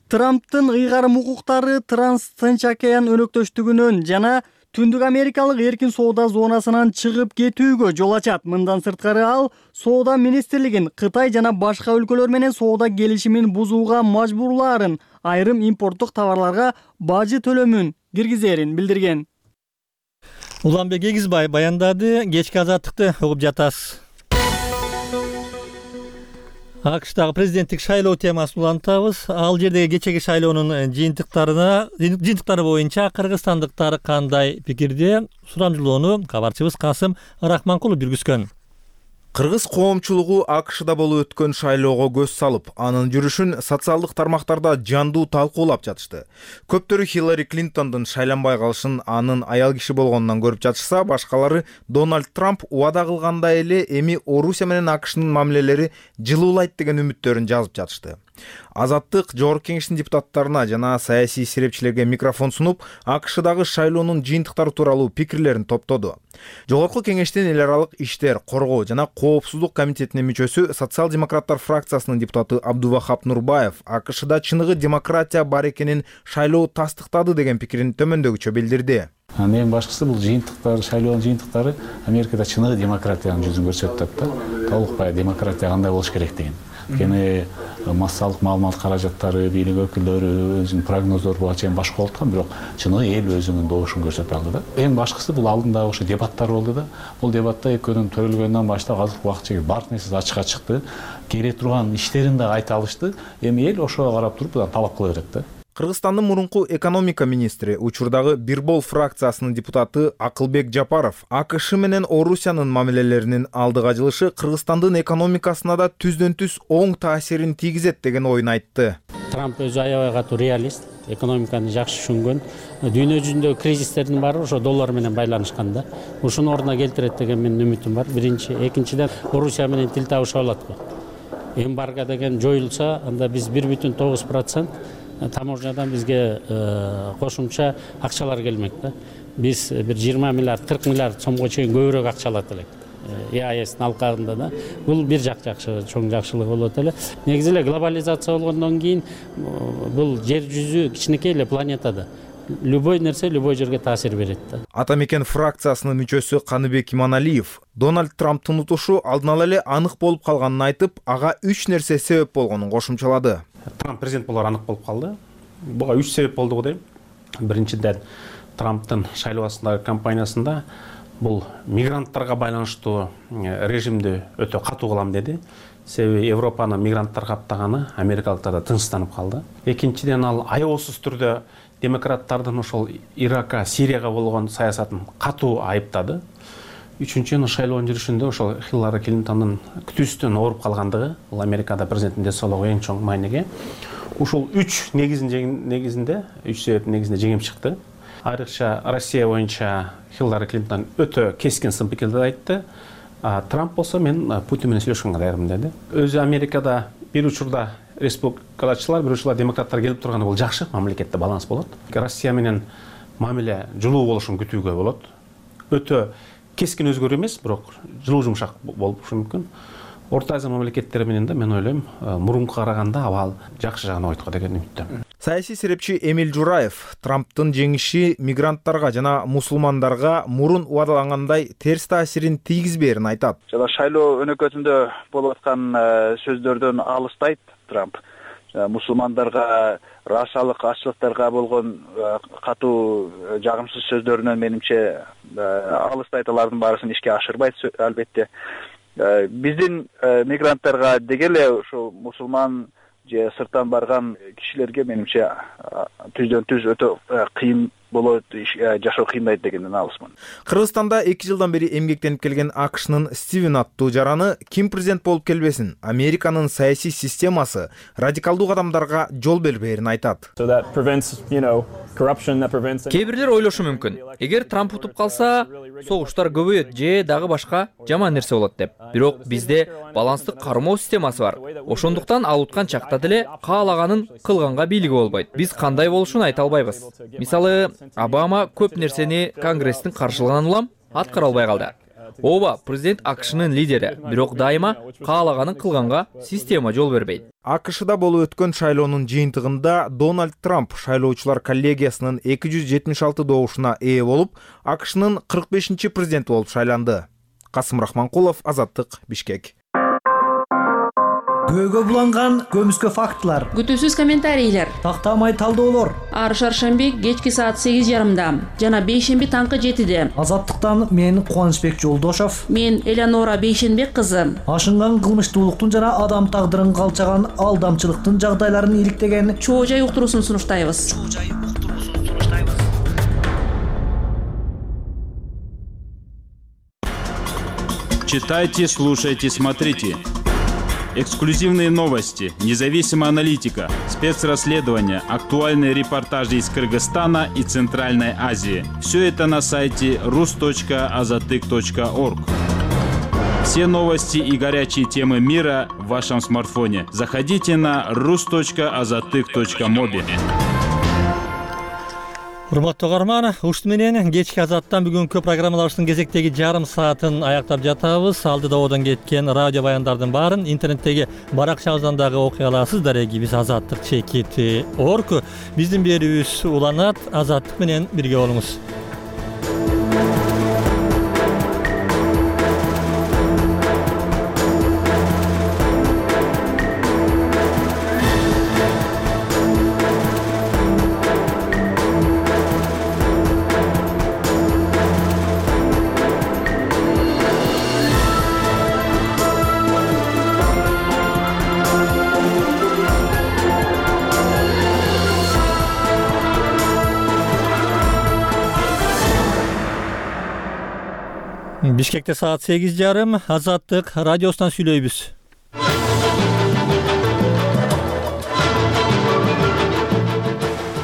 Трамптын ыйгарым укуктары Транс-Тынч океан өнөктөштүгүнөн жана Түндүк Америкалык эркин соода зонасынан чыгып кетүүгө жол ачат. Мындан сырткары ал соода министрлигин Кытай жана башка өлкөлөр менен соода келишимин бузууга мажбурлаарын, айрым импорттук товарларга бажы төлөмүн киргизерин билдирген. Уланбек Эгизбай баяндады. Кечки азаттыкты угуп жатасыз. АКШтагы президенттик шайлоо темасын улантабыз. Ал жердеги кечеги шайлоонун жыйынтыктары боюнча кыргызстандыктар кандай пикирде? Сурамжылоону кабарчыбыз Касым Рахманкулов жүргүзгөн. Кыргыз коомчулугу АКШда болуп өткөн шайлоого көз салып, анын жүрүшүн социалдык тармактарда жандуу талкуулап жатышты. Көптөрү Хиллари Клинтондун шайланбай калышын анын аял киши болгонунан көрүп жатышса, башкалары Дональд Трамп убада кылгандай эле эми Орусия менен АКШнын мамилелери жылуулайт деген үмүттөрүн жазып жатышты. Азаттык Жогорку Кеңештин депутаттарына жана саясий серепчилерге микрофон сунуп, АКШдагы шайлоонун жыйынтыктары тууралуу пикирлерин топтоду. Жогорку Кеңештин эл аралык иштер, коргоо жана коопсуздук комитетинин мүчөсү социал-демократтар фракциясынын депутаты Абдувахап Нурбаев АКШда чыныгы демократия бар экенин шайлоо тастыктады деген пикирин төмөндөгүчө билдирди. Эң башкысы бул жыйынтыктар, шайлоонун жыйынтыктары Америкада чыныгы демократиянын жүзүн көрсөтүп атат да. Толук демократия кандай болуш керек деген. Анткени массалык маалымат каражаттары, бийлик өкүлдөрү өзүнүн прогноздору буга чейин башка болуп аткан, бирок чыныгы эл өзүнүн добушун көрсөтүп алды да. Эң башкысы бул алдындагы ошо дебаттар болду да. Бул дебатта экөөнүн төрөлгөндөн баштап азыркы убакытка чейин баардык нерсе ачыкка чыкты. Келе турган иштерин да айта алышты. Эми эл ошого карап туруп талап кыла берет да. Кыргызстандын мурунку экономика министри, учурдагы Бирбол фракциясынын депутаты Акылбек Жапаров АКШ менен Орусиянын мамилелеринин алдыга жылышы Кыргызстандын экономикасына да түздөн-түз оң таасирин тийгизет деген оюн айтты. Трамп өзү аябай катуу реалист, экономиканы жакшы түшүнгөн. Дүйнө жүзүндөгү кризистердин баары ошо доллар менен байланышкан да. Ушуну ордуна келтирет деген менин үмүтүм бар. Биринчи, экинчиден Орусия менен тил табыша алат го. Эмбарго деген жоюлса, анда биз 1,9% таможнядан бизге кошумча акчалар келмек да. Биз бир 20 миллиард, 40 миллиард сомго чейин көбүрөөк акча алат элек. ЕАЭСтин алкагында да. Бул бир жакшы, чоң жакшылык болот эле. Негизи эле глобализация болгондон кийин бул жер жүзү кичинекей эле планета да. Любой нерсе любой жерге таасир берет да. Атамекен фракциясынын мүчөсү Каныбек Иманалиев Дональд Трамптын утушу алдын ала эле анык болуп калганын айтып, ага 3 нерсе себеп болгонун кошумчалады. Трамп президент болор анык болуп калды. Буга 3 себеп болду го дейм. Биринчиден, Трамптын шайлоосундагы кампаниясында бул мигранттарга байланыштуу режимди өтө катуу кылам деди. Себеби Европаны мигранттар каптаганы Америкалыктар да тынчсызданып калды. Экинчиден, ал аябасыз түрдө демократтардын ошол Иракка, Сирияга болгон саясатын катуу айыптады. Үчүнчүдөн, шайлоонун жүрүшүндө ошол Хиллари Клинтондун күтүүсүнөн ооруп калгандыгы, бул Америкада президенттин денсаулыгы эң чоң мааниге. Ушул 3 негизинде, 3 себептин негизинде жеңип чыкты. Айрыкча Россия боюнча Хиллари Клинтон өтө кескин сын пикирди айтты. Трамп болсо мен Путин менен сүйлөшкөнгө даярмын деди. Өзү Америкада бир учурда республикачылар, бир учурда демократтар келип турганы бул жакшы, мамлекетте баланс болот. Россия менен мамиле жылуу болушун күтүүгө болот. Өтө кескин өзгөрүү эмес, бирок жылуу жумшак болушу мүмкүн. Орто Азия мамлекеттери менен да мен ойлойм, мурункуга караганда абал жакшы жагына ойткон деген үмүттөмүн. Саясий серепчи Эмил Жураев Трамптын жеңиши мигранттарга жана мусулмандарга мурун убадалангандай терс таасирин тийгизбээрин айтат. Жана шайлоо өнөкөтүндө болуп аткан сөздөрдөн алыстайт Трамп. Мусулмандарга, расалык ачылыктарга болгон катуу жагымсыз сөздөрүнөн менимче алыстайт, алардын баарысын ишке ашырбайт албетте. Биздин мигранттарга дегеле ошо мусулман же сырттан барган кишилерге менимче түздөн-түз өтө кыйын болот, жашоо кыйындайт дегенден алысмын. Кыргызстанда 2 жылдан бери эмгектенип келген АКШнын Стивен аттуу жараны ким президент болуп келбесин, Американын саясий системасы радикалдуу кадамдарга жол бербээрин айтат. Кээ бирлер ойлошу мүмкүн, эгер Трамп утуп калса, согуштар көбөйөт же дагы башка жаман нерсе болот деп. Бирок бизде баланстык кармоо системасы бар. Ошондуктан ал уткан чакта деле каалаганын кылганга бийлиги болбойт. Биз кандай болушун айта албайбыз. Мисалы, Обама көп нерсени Конгресстин каршылыгынан улам аткара албай калды. Ооба, президент АКШнын лидери, бирок дайыма каалаганын кылганга система жол бербейт. АКШда болуп өткөн шайлоонун жыйынтыгында Дональд Трамп шайлоочулар коллегиясынын 276 добушуна ээ болуп, АКШнын 45-чи президенти болуп шайланды. Касым Рахманкулов, Азаттык, Бишкек. Көйгө буланган көмүскө фактылар, күтүүсүз комментарийлер, тактамай талдоолор. Ар шаршемби кечки саат 8:30 жана бейшемби таңкы 7-де. Азаттыктан мен Кубанычбек Жолдошов, мен Элеонора Бейшенбек кызы. Ашынган кылмыштуулуктун жана адам тагдырын калчаган алдамчылыктын жагдайларын иликтеген Чоо жай уктуруусун сунуштайбыз. Читайте, слушайте, смотрите. Эксклюзивные новости, независимая аналитика, спецрасследования, актуальные репортажи из Кыргызстана и Центральной Азии. Все это на сайте rus.azatyk.org. Все новости и горячие темы мира в вашем смартфоне. Заходите на rus.azatyk.mobi. Урматтуу угарман, ушул менен кечки Азаттан бүгүнкү программаларыбыздын кезектеги жарым саатын аяктап жатабыз. Алдыда одон кеткен радио баяндардын баарын интернеттеги баракчабыздан дагы окуй аласыздар. Биз Азаттык @org. Биздин берүүбүз уланат. Азаттык менен бирге болуңуз. Бишкекте саат 8:30. Азаттык радиосунан сүйлөйбүз.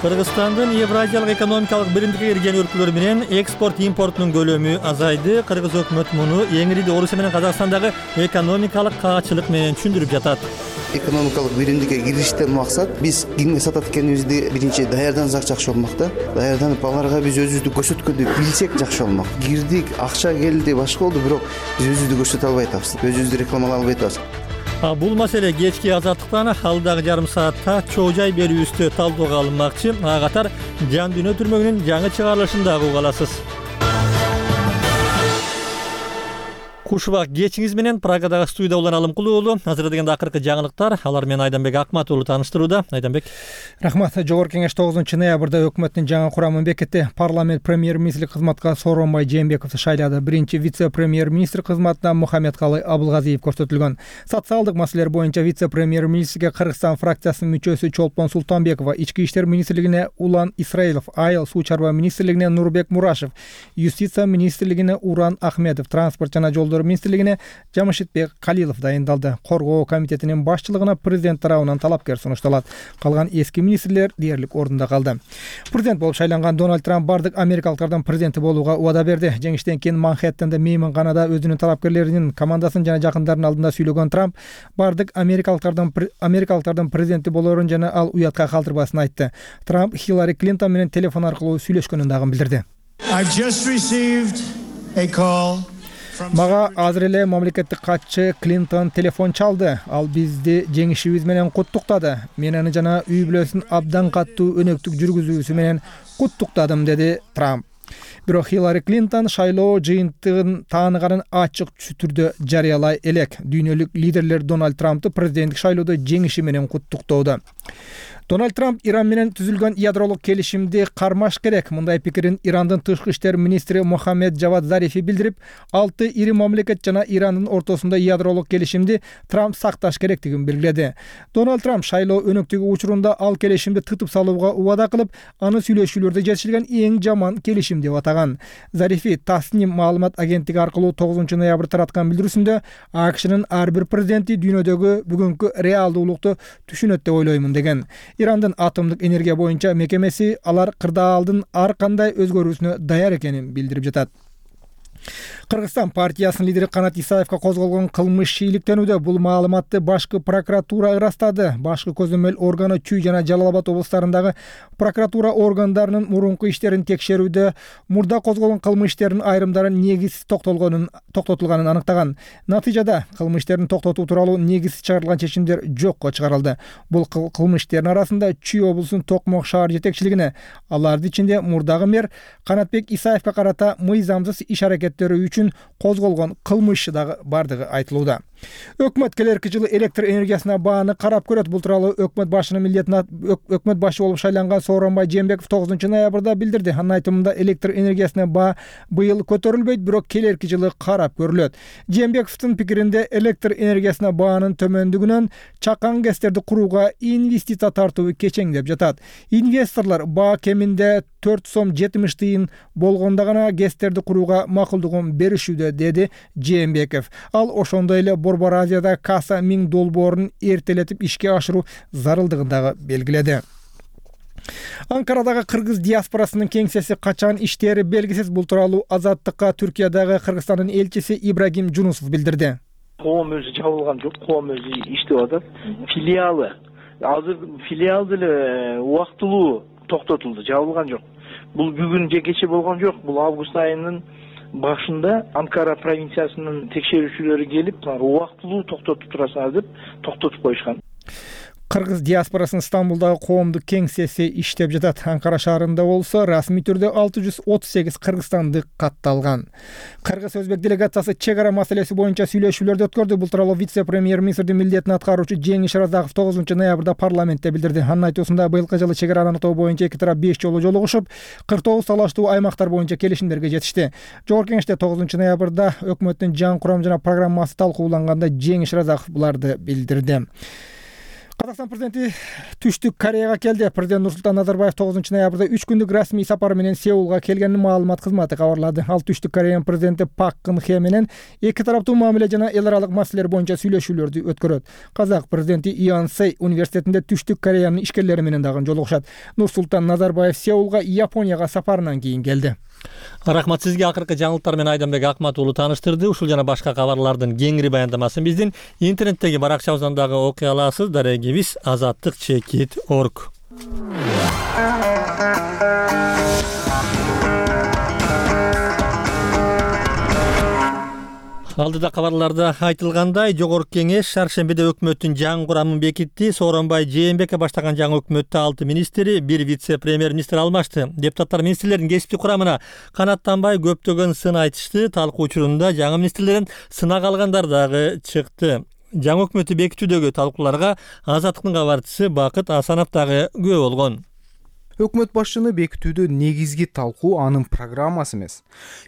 Кыргызстандын Евразиялык экономикалык биримдикке кирген өлкөлөр менен экспорт-импорттун көлөмү азайды. Кыргыз өкмөтү муну эңириде Орусия менен Казакстандагы экономикалык каачылык менен түшүндүрүп жатат. Экономикалык биримдикке кириштен максат биз кимге сатат экенибизди биринчи даярдансак жакшы болмок да. Даярданып аларга биз өзүбүздү көрсөткөндү билсек жакшы болмок. Кирдик, акча келди, башка болду, бирок биз өзүбүздү көрсөтө албай атабыз. Өзүбүздү рекламалай албай атабыз. Бул маселе кечки азаттыктан алдагы жарым саатта чоо жай берүүбүздө талкууга алынмакчы. Ага катар Жан дүйнө түрмөгүнүн жаңы чыгарылышын дагы уга аласыз. Кушубак кечиңиз менен Прагадагы студияда улан Алымкул уулу. Азыр дегенде акыркы жаңылыктар. Алар менен Айданбек Акмат уулу тааныштырууда. Айданбек. Рахмат. Жогорку кеңеш 9 ноябрда өкмөттүн жаңы курамын бекитти. Парламент премьер-министрлик кызматка Сооронбай Жээнбековду шайлады. Биринчи вице-премьер-министр кызматына Мухаммедкалый Абылгазиев көрсөтүлгөн. Социалдык маселелер боюнча вице-премьер-министрге Кыргызстан фракциясынын мүчөсү Чолпон Султанбекова, Ички иштер министрлигине Улан Исраилов, Айыл суу чарба министрлигине Нурбек Мурашев, Юстиция министрлигине Уран Ахмедов, транспорт жана жолдор министрлигине Жамшитбек Калилов дайындалды. Коргоо комитетинин башчылыгына президент тарабынан талапкер сунушталат. Калган эски министрлер дээрлик ордунда калды. Президент болуп шайланган Дональд Трамп бардык америкалыктардын президенти болууга убада берди. Жеңиштен кийин Манхэттенде мейманканада өзүнүн талапкерлеринин командасын жана жакындарынын алдында сүйлөгөн Трамп бардык америкалыктардын президенти болоорун жана ал уятка калтырбасын айтты. Трамп Хиллари Клинтон менен телефон аркылуу сүйлөшкөнүн дагы билдирди. Мага азыр эле мамлекеттик катчы Клинтон телефон чалды. Ал бизди жеңишибиз менен куттуктады. Мен аны жана үй бүлөсүн абдан каттуу өнөктүк жүргүзүүсү менен куттуктадым, деди Трамп. Бирок Хиллари Клинтон шайлоо жыйынтыгын тааныганын ачык түрдө жарыялай элек. Дүйнөлүк лидерлер Дональд Трамптı президенттик шайлоодо жеңиши менен куттуктоодо. Дональд Трамп Иран менен түзүлгөн ядролук келишимди кармаш керек. Мындай пикирин Ирандын тышкы иштер министри Мохаммед Жавад Зарифи билдирип, 6 ири мамлекет жана Ирандын ортосунда ядролук келишимди Трамп сакташ керектигин белгиледи. Дональд Трамп шайлоо өнөктүгү учурунда ал келишимди тытып салууга убада кылып, аны сүйлөшүүлөрдө жетишилген эң жаман келишим деп атаган. Зарифи Тасним маалымат агенттиги аркылуу 9 ноябрь тараткан билдирүүсүндө АКШнын ар бир президенти дүйнөдөгү бүгүнкү реалдуулукту түшүнөт деп ойлоймун деген. Ирандын атомдук энергия боюнча мекемеси алар кырдаалдын ар кандай өзгөрүүсүнө даяр экенин билдирип жатат. Кыргызстан партиясынын лидери Канат Исаевка козголгон кылмыш шийликтенүүдө. Бул маалыматты башкы прокуратура ырастады. Башкы көзөмөл органы Чүй жана Жалал Абад облустарындагы прокуратура органдарынын мурунку иштерин текшерүүдө мурда козголгон кылмыш иштеринин айрымдары негизсиз токтотулганын аныктаган. Натыйжада кылмыш иштерин токтотуу тууралуу негизсиз чыгарылган чечимдер жокко чыгарылды. Бул кылмыш иштеринин арасында Чүй облусунун Токмок шаар жетекчилигине, алардын ичинде мурдагы мэр Канатбек Исаевка карата мыйзамсыз иш аракеттери үчүн козголгон кылмыш дагы бардыгы айтылууда. Өкмөт келерки жылы электр энергиясына бааны карап көрөт. Бул тууралуу өкмөт башынын милдетине өкмөт башы болуп шайланган Сооронбай Жээнбеков 9 ноябрда билдирди. Анын айтымында электр энергиясына баа быйыл көтөрүлбөйт, бирок келерки жылы карап көрүлөт. Жээнбековдун пикиринде электр энергиясына баанын төмөндүгүнөн чакан гэстерди курууга инвестиция тартуу кечеңдеп жатат. Инвесторлор баа кеминде 4 сом 70 тыйын болгондо гана гэстерди курууга макулдугун беришүүдө, деди Жээнбеков. Ал ошондой эле Борбор Азияда Каса Миң долбоорун эртелетип ишке ашыруу зарылдыгын дагы белгиледи. Анкарадагы кыргыз диаспорасынын кеңсеси качан иштери белгисиз. Бул тууралуу Азаттыкка Түркиядагы Кыргызстандын элчиси Ибрагим Жунусов билдирди. Коом өзү жабылган жок, коом өзү иштеп атат. Филиалы азыр филиал деле убактылуу токтотулду, жабылган жок. Бул бүгүн же кече болгон жок. Бул август айынын башында Анкара провинциясынын текшерүүчүлөрү келип, убактылуу токтотуп турасыңар деп токтотуп коюшкан. Кыргыз диаспорасынын Стамбулдагы коомдук кеңсеси иштеп жатат. Анкара шаарында болсо расмий түрдө 638 кыргызстандык катталган. Кыргыз өзбек делегациясы чек ара маселеси боюнча сүйлөшүүлөрдү өткөрдү. Бул тууралуу вице-премьер-министрдин милдетин аткаруучу Жеңиш Разаков 9 ноябрда парламентте билдирди. Анын айтуусунда быйылкы жылы чек араны аныктоо боюнча эки тарап 5 жолу жолугушуп, 49 талаштуу аймактар боюнча келишимдерге жетишти. Жогорку кеңеште 9 ноябрда өкмөттүн жаңы курам жана программасы талкууланганда Жеңиш Разаков буларды билдирди. Казакстан президенти Түштүк Кореяга келди. Президент Нурсултан Назарбаев 9 ноябрда 3 күндүк расмий сапар менен Сеулга келгенин маалымат кызматы кабарлады. Ал Түштүк Кореянын президенти Пак Кын Хе менен эки тараптуу мамиле жана эл аралык маселелер боюнча сүйлөшүүлөрдү өткөрөт. Казак президенти Ионсей университетинде Түштүк Кореянын ишкерлери менен дагы жолугушат. Нурсултан Назарбаев Сеулга Японияга сапарынан кийин келди. Рахмат сизге. Акыркы жаңылыктар менен Айданбек Акмат уулу тааныштырды. Ушул жана башка кабарлардын кеңири баяндамасын биздин интернеттеги баракчабыздан дагы окуй аласыз. Дарегибиз azatlık.org. Алдыда кабарларда айтылгандай, Жогорку Кеңеш шаршембиде өкмөттүн жаңы курамын бекитти. Сооронбай Жээнбеков баштаган жаңы өкмөттө 6 министри, 1 вице-премьер-министр алмашты. Депутаттар министрлердин кесиптик курамына канаттанбай көптөгөн сын айтышты. Талкуу учурунда жаңы министрлерден сынак алгандар дагы чыкты. Жаңы өкмөттү бекитүүдөгү талкууларга Азаттыктын кабарчысы Бакыт Асанов дагы күбө болгон. Өкмөт башчыны бекитүүдө негизги талкуу анын программасы эмес,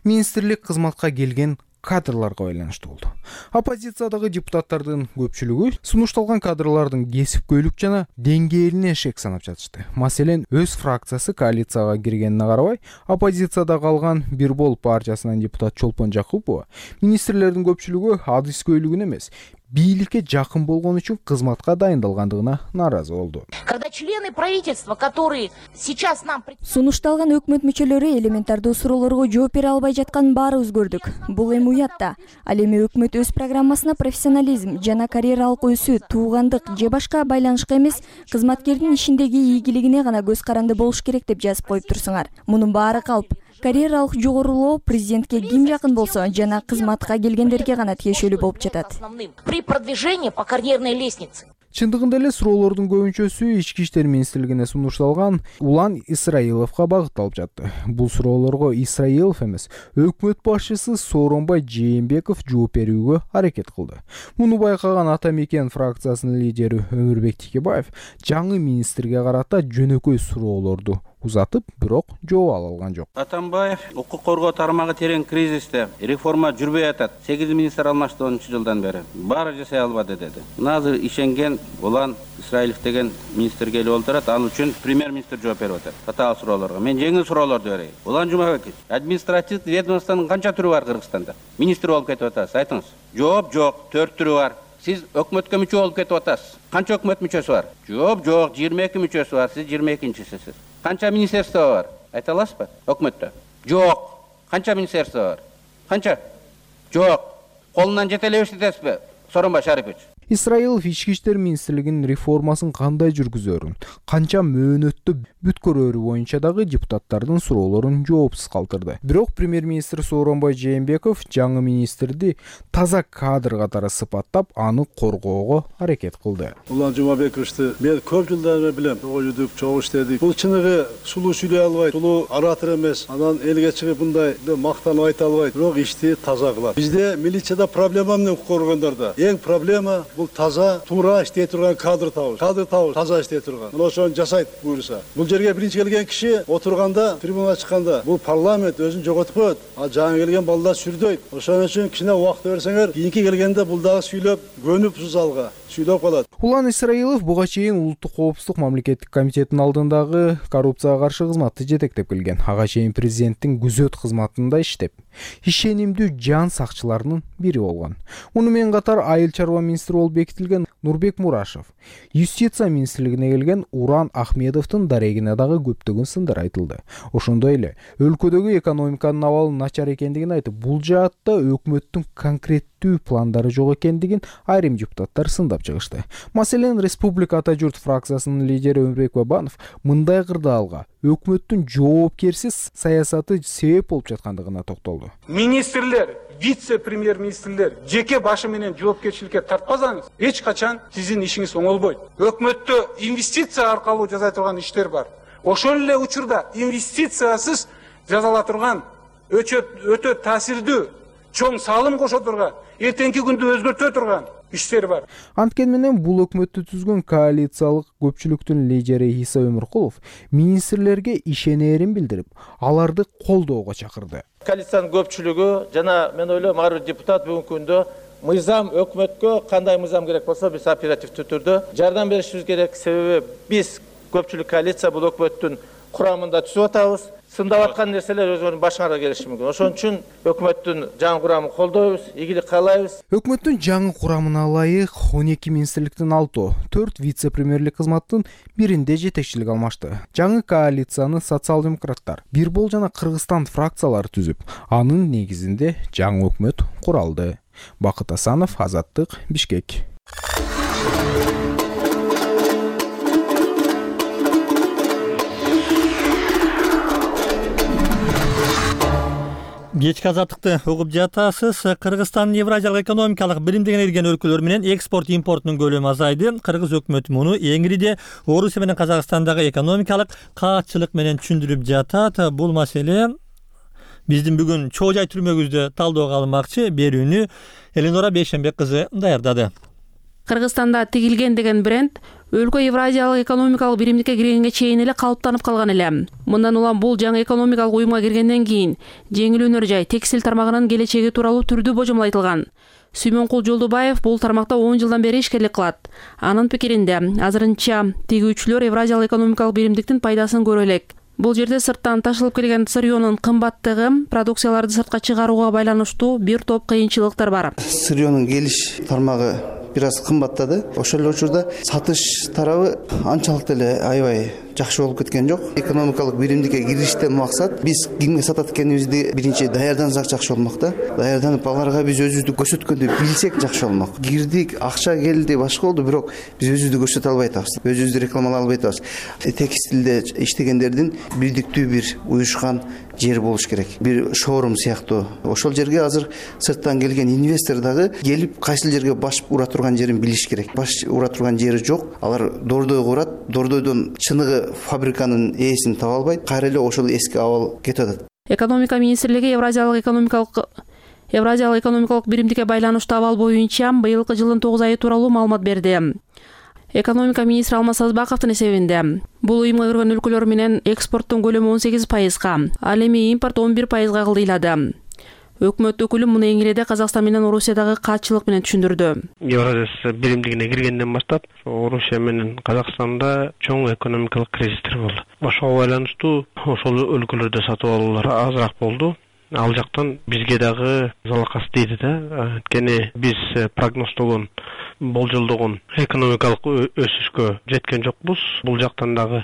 министрлик кызматка келген кадрларга байланыштуу болду. Оппозициядагы депутаттардын көпчүлүгү сунушталган кадрлардын кесипкөйлүк жана деңгээлине шек санап жатышты. Маселен, өз фракциясы коалицияга киргенине карабай, оппозицияда калган Бир Бол партиясынан депутат Чолпон Жакупова министрлердин көпчүлүгү адыскөйлүгүн эмес, бийликке жакын болгон үчүн кызматка дайындалгандыгына нааразы болду. Когда члены правительства, которые сейчас нам сунушталган өкмөт мүчөлөрү элементардуу суроолорго жооп бере албай жатканын баары өзгөрдүк. Бул эми уят да. Ал эми өкмөт өз программасына профессионализм жана карьералык өсүү, туугандык же башка байланышка эмес, кызматкердин ишиндеги ийгилигине гана көз каранды болуш керек деп жазып коюп турсуңар. Мунун баары калп. Карьералык жогорулоо президентке ким жакын болсо жана кызматка келгендерге гана тиешелүү болуп жатат. При продвижении по карьерной лестнице. Чындыгында эле суроолордун көбүнчөсү Ички иштер министрлигине сунушталган Улан Исраиловго багытталып жатты. Бул суроолорго Исраилов эмес, өкмөт башчысы Сооронбай Жээнбеков жооп берүүгө аракет кылды. Муну байкаган Ата Мекен фракциясынын лидери Өмүрбек Текебаев жаңы министрге карата жөнөкөй суроолорду узатып, бирок жооп ала алган жок. Атамбаев укук коргоо тармагы терең кризисте, реформа жүрбөй атат. 8 министр алмашты 10 жылдан бери. Баары жасай албады деди. Азыр ишенген Улан Исраилов деген министр келип олтурат, ал үчүн премьер-министр жооп берип атат. Татаал суроолорго. Мен жеңил суроолорду берейин. Улан Жумабеков, административдик ведомствонун канча түрү бар Кыргызстанда? Министр болуп кетип атасыз, айтыңыз. Жооп жок, 4 түрү бар. Сиз өкмөткө мүчө болуп кетип атасыз. Канча өкмөт мүчөсү бар? Жооп жок, 22 мүчөсү бар. Сиз 22-чисисиз. Канча министерство бар? Айта аласызбы? Өкмөттө. Жок. Канча министерство бар? Канча? Жок. Колунан жете эле эстетесизби? Сооронбай Шарипович. Исраилов ички иштер министрлигинин реформасын кандай жүргүзөрүн, канча мөөнөттө бүткөрөрү боюнча дагы депутаттардын суроолорун жоопсуз калтырды. Бирок премьер-министр Сооронбай Жээнбеков жаңы министрди таза кадр катары сыпаттап, аны коргоого аракет кылды. Улан Жумабековичти мен көп жылдан бери билем. Чогуу жүрдүк, чогуу иштедик. Бул чыныгы сулуу сүйлөй албайт, сулуу оратор эмес. Анан элге чыгып мындай мактанып айта албайт. Бирок ишти таза кылат. Бизде милицияда проблема эмне коргондордо? Эң проблема бул таза, туура иштей турган кадр табыш. Кадр табыш, таза иштей турган. Мына ошону жасайт буюрса. Бул жерге биринчи келген киши отурганда, трибунага чыкканда, бул парламент өзүн жоготуп коет. А жаңы келген балдар сүрдөйт. Ошон үчүн кичине убакыт берсеңер, кийинки келгенде бул дагы сүйлөп, көнүп залга сүйлөп калат. Улан Исраилов буга чейин Улуттук коопсуздук мамлекеттик комитетинин алдындагы коррупцияга каршы кызматты жетектеп келген. Ага чейин президенттин күзөт кызматында иштеп, ишенимдүү жан сакчыларынын бири болгон. Муну менен катар айыл чарба министри болуп бекитилген Нурбек Мурашев, юстиция министрлигине келген Уран Ахмедовдун дарегине дагы көптөгөн сындар айтылды. Ошондой эле өлкөдөгү экономиканын абалы начар экендигин айтып, бул жаатта өкмөттүн конкреттүү пландары жок экендигин айрым депутаттар сындап чыгышты. Маселен, Республика Ата Журт фракциясынын лидери Өмүрбек Бабанов мындай кырдаалга өкмөттүн жоопкерсиз саясаты себеп болуп жаткандыгына токтолду. Министрлер, вице-премьер-министрлер жеке башы менен жоопкерчиликке тартпасаңыз, эч качан сиздин ишиңиз оңолбойт. Өкмөттө инвестиция аркылуу жасай турган иштер бар. Ошол эле учурда инвестициясыз жасала турган өтө таасирдүү, чоң салым кошо турган, эртеңки күндү өзгөртө турган иштер бар. Анткени менен бул өкмөттү түзгөн коалициялык көпчүлүктүн лидери Иса Өмүркулов министрлерге ишенерин билдирип, аларды колдоого чакырды. Коалициянын көпчүлүгү жана мен ойлойм ар бир депутат бүгүнкү күндө мыйзам өкмөткө кандай мыйзам керек болсо биз оперативдүү түрдө жардам беришибиз керек. Себеби биз көпчүлүк коалиция бул өкмөттүн курамында түзүп атабыз. Сындап аткан нерселер өзүнүн башыңарга келиши мүмкүн. Ошон үчүн өкмөттүн жаңы курамын колдойбуз, ийгилик каалайбыз. Өкмөттүн жаңы курамына ылайык 12 министрликтин 4 вице-премьерлик кызматтын биринде жетекчилик алмашты. Жаңы коалицияны социал-демократтар, Бирбол жана Кыргызстан фракциялары түзүп, анын негизинде жаңы өкмөт куралды. Бакыт Асанов, Азаттык, Бишкек. Кечки азаттыкты угуп жатасыз. Кыргызстандын Евразиялык экономикалык биримдигине кирген өлкөлөр менен экспорт импорттун көлөмү азайды. Кыргыз өкмөтү муну эңириде Орусия менен Казакстандагы экономикалык каатчылык менен түшүндүрүп жатат. Бул маселе биздин бүгүн чоо жай түрмөгүздө талдөөгө алынмакчы. Берүүнү Эленора Бейшенбек кызы даярдады. Кыргызстанда тигилген деген бренд өлкө Евразиялык экономикалык биримдикке киргенге чейин эле калыптанып калган эле. Мындан улам бул жаңы экономикалык уюмга киргенден кийин жеңил өнөр жай, текстиль тармагынын келечеги тууралуу түрдүү божомол айтылган. Сүймөнкул Жолдубаев бул тармакта 10 жылдан бери ишкерлик кылат. Анын пикиринде азырынча тигүүчүлөр Евразиялык экономикалык биримдиктин пайдасын көрө элек. Бул жерде сырттан ташылып келген сырьёнун кымбаттыгы, продукцияларды сыртка чыгарууга байланыштуу бир топ кыйынчылыктар бар. Сырьёнун келиш тармагы бир аз кымбаттады. Ошол эле учурда сатыш тарабы анчалык деле аябай жакшы болуп кеткен жок. Экономикалык биримдикке кириштен максат биз кимге сатат экенибизди биринчи даярдансак жакшы болмок да. Даярданып аларга биз өзүбүздү көрсөткөндү билсек жакшы болмок. Кирдик, акча келди, башка болду, бирок биз өзүбүздү көрсөтө албай атабыз. Өзүбүздү рекламалай албай атабыз. Текстилде иштегендердин бирдиктүү бир уюшкан жер болуш керек. Бир шоурум сыяктуу. Ошол жерге азыр сырттан келген инвестор дагы келип кайсыл жерге баш ура турган жерин билиш керек. Баш ура турган жери жок. Алар дордой курат, дордойдон чыныгы фабриканын ээсин таба албайт. Кайра эле ошол эски абал кетип атат. Экономика министрлиги Евразиялык экономикалык биримдикке байланыштуу абал боюнча быйылкы жылдын 9 айы тууралуу маалымат берди. Экономика министри Алмаз Сазбаковдун эсебинде бул уюмга кирген өлкөлөр менен экспорттун көлөмү 18%, ал эми импорт 11%га кылдыйлады. Өкмөт өкүлү муну эңиреде Казакстан менен Орусиядагы каатчылык менен түшүндүрдү. Евразия биримдигине киргенден баштап Орусия менен Казакстанда чоң экономикалык кризистер болду. Ошого байланыштуу ошол өлкөлөрдө сатып алуулар азыраак болду. Ал жактан бизге дагы залакас тийди да. Анткени биз прогноздогон, болжолдогон экономикалык өсүшкө жеткен жокпуз. Бул жактан дагы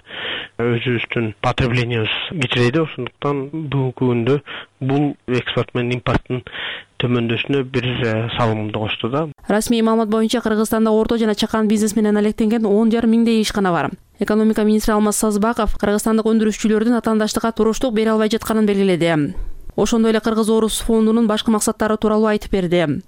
өзүбүздүн потреблениябыз кичирейди. Ошондуктан бүгүнкү күндө бул экспорт менен импорттун төмөндөшүнө бир салымды кошту да. Расмий маалымат боюнча Кыргызстанда орто жана чакан бизнес менен алектенген 10,5 миңдей ишкана бар. Экономика министри Алмаз Сазбаков кыргызстандык өндүрүшчүлөрдүн атаандаштыкка туруштук бере албай жатканын белгиледи. Ошондой эле Кыргыз-Орус фондунун башкы максаттары тууралуу айтып берди.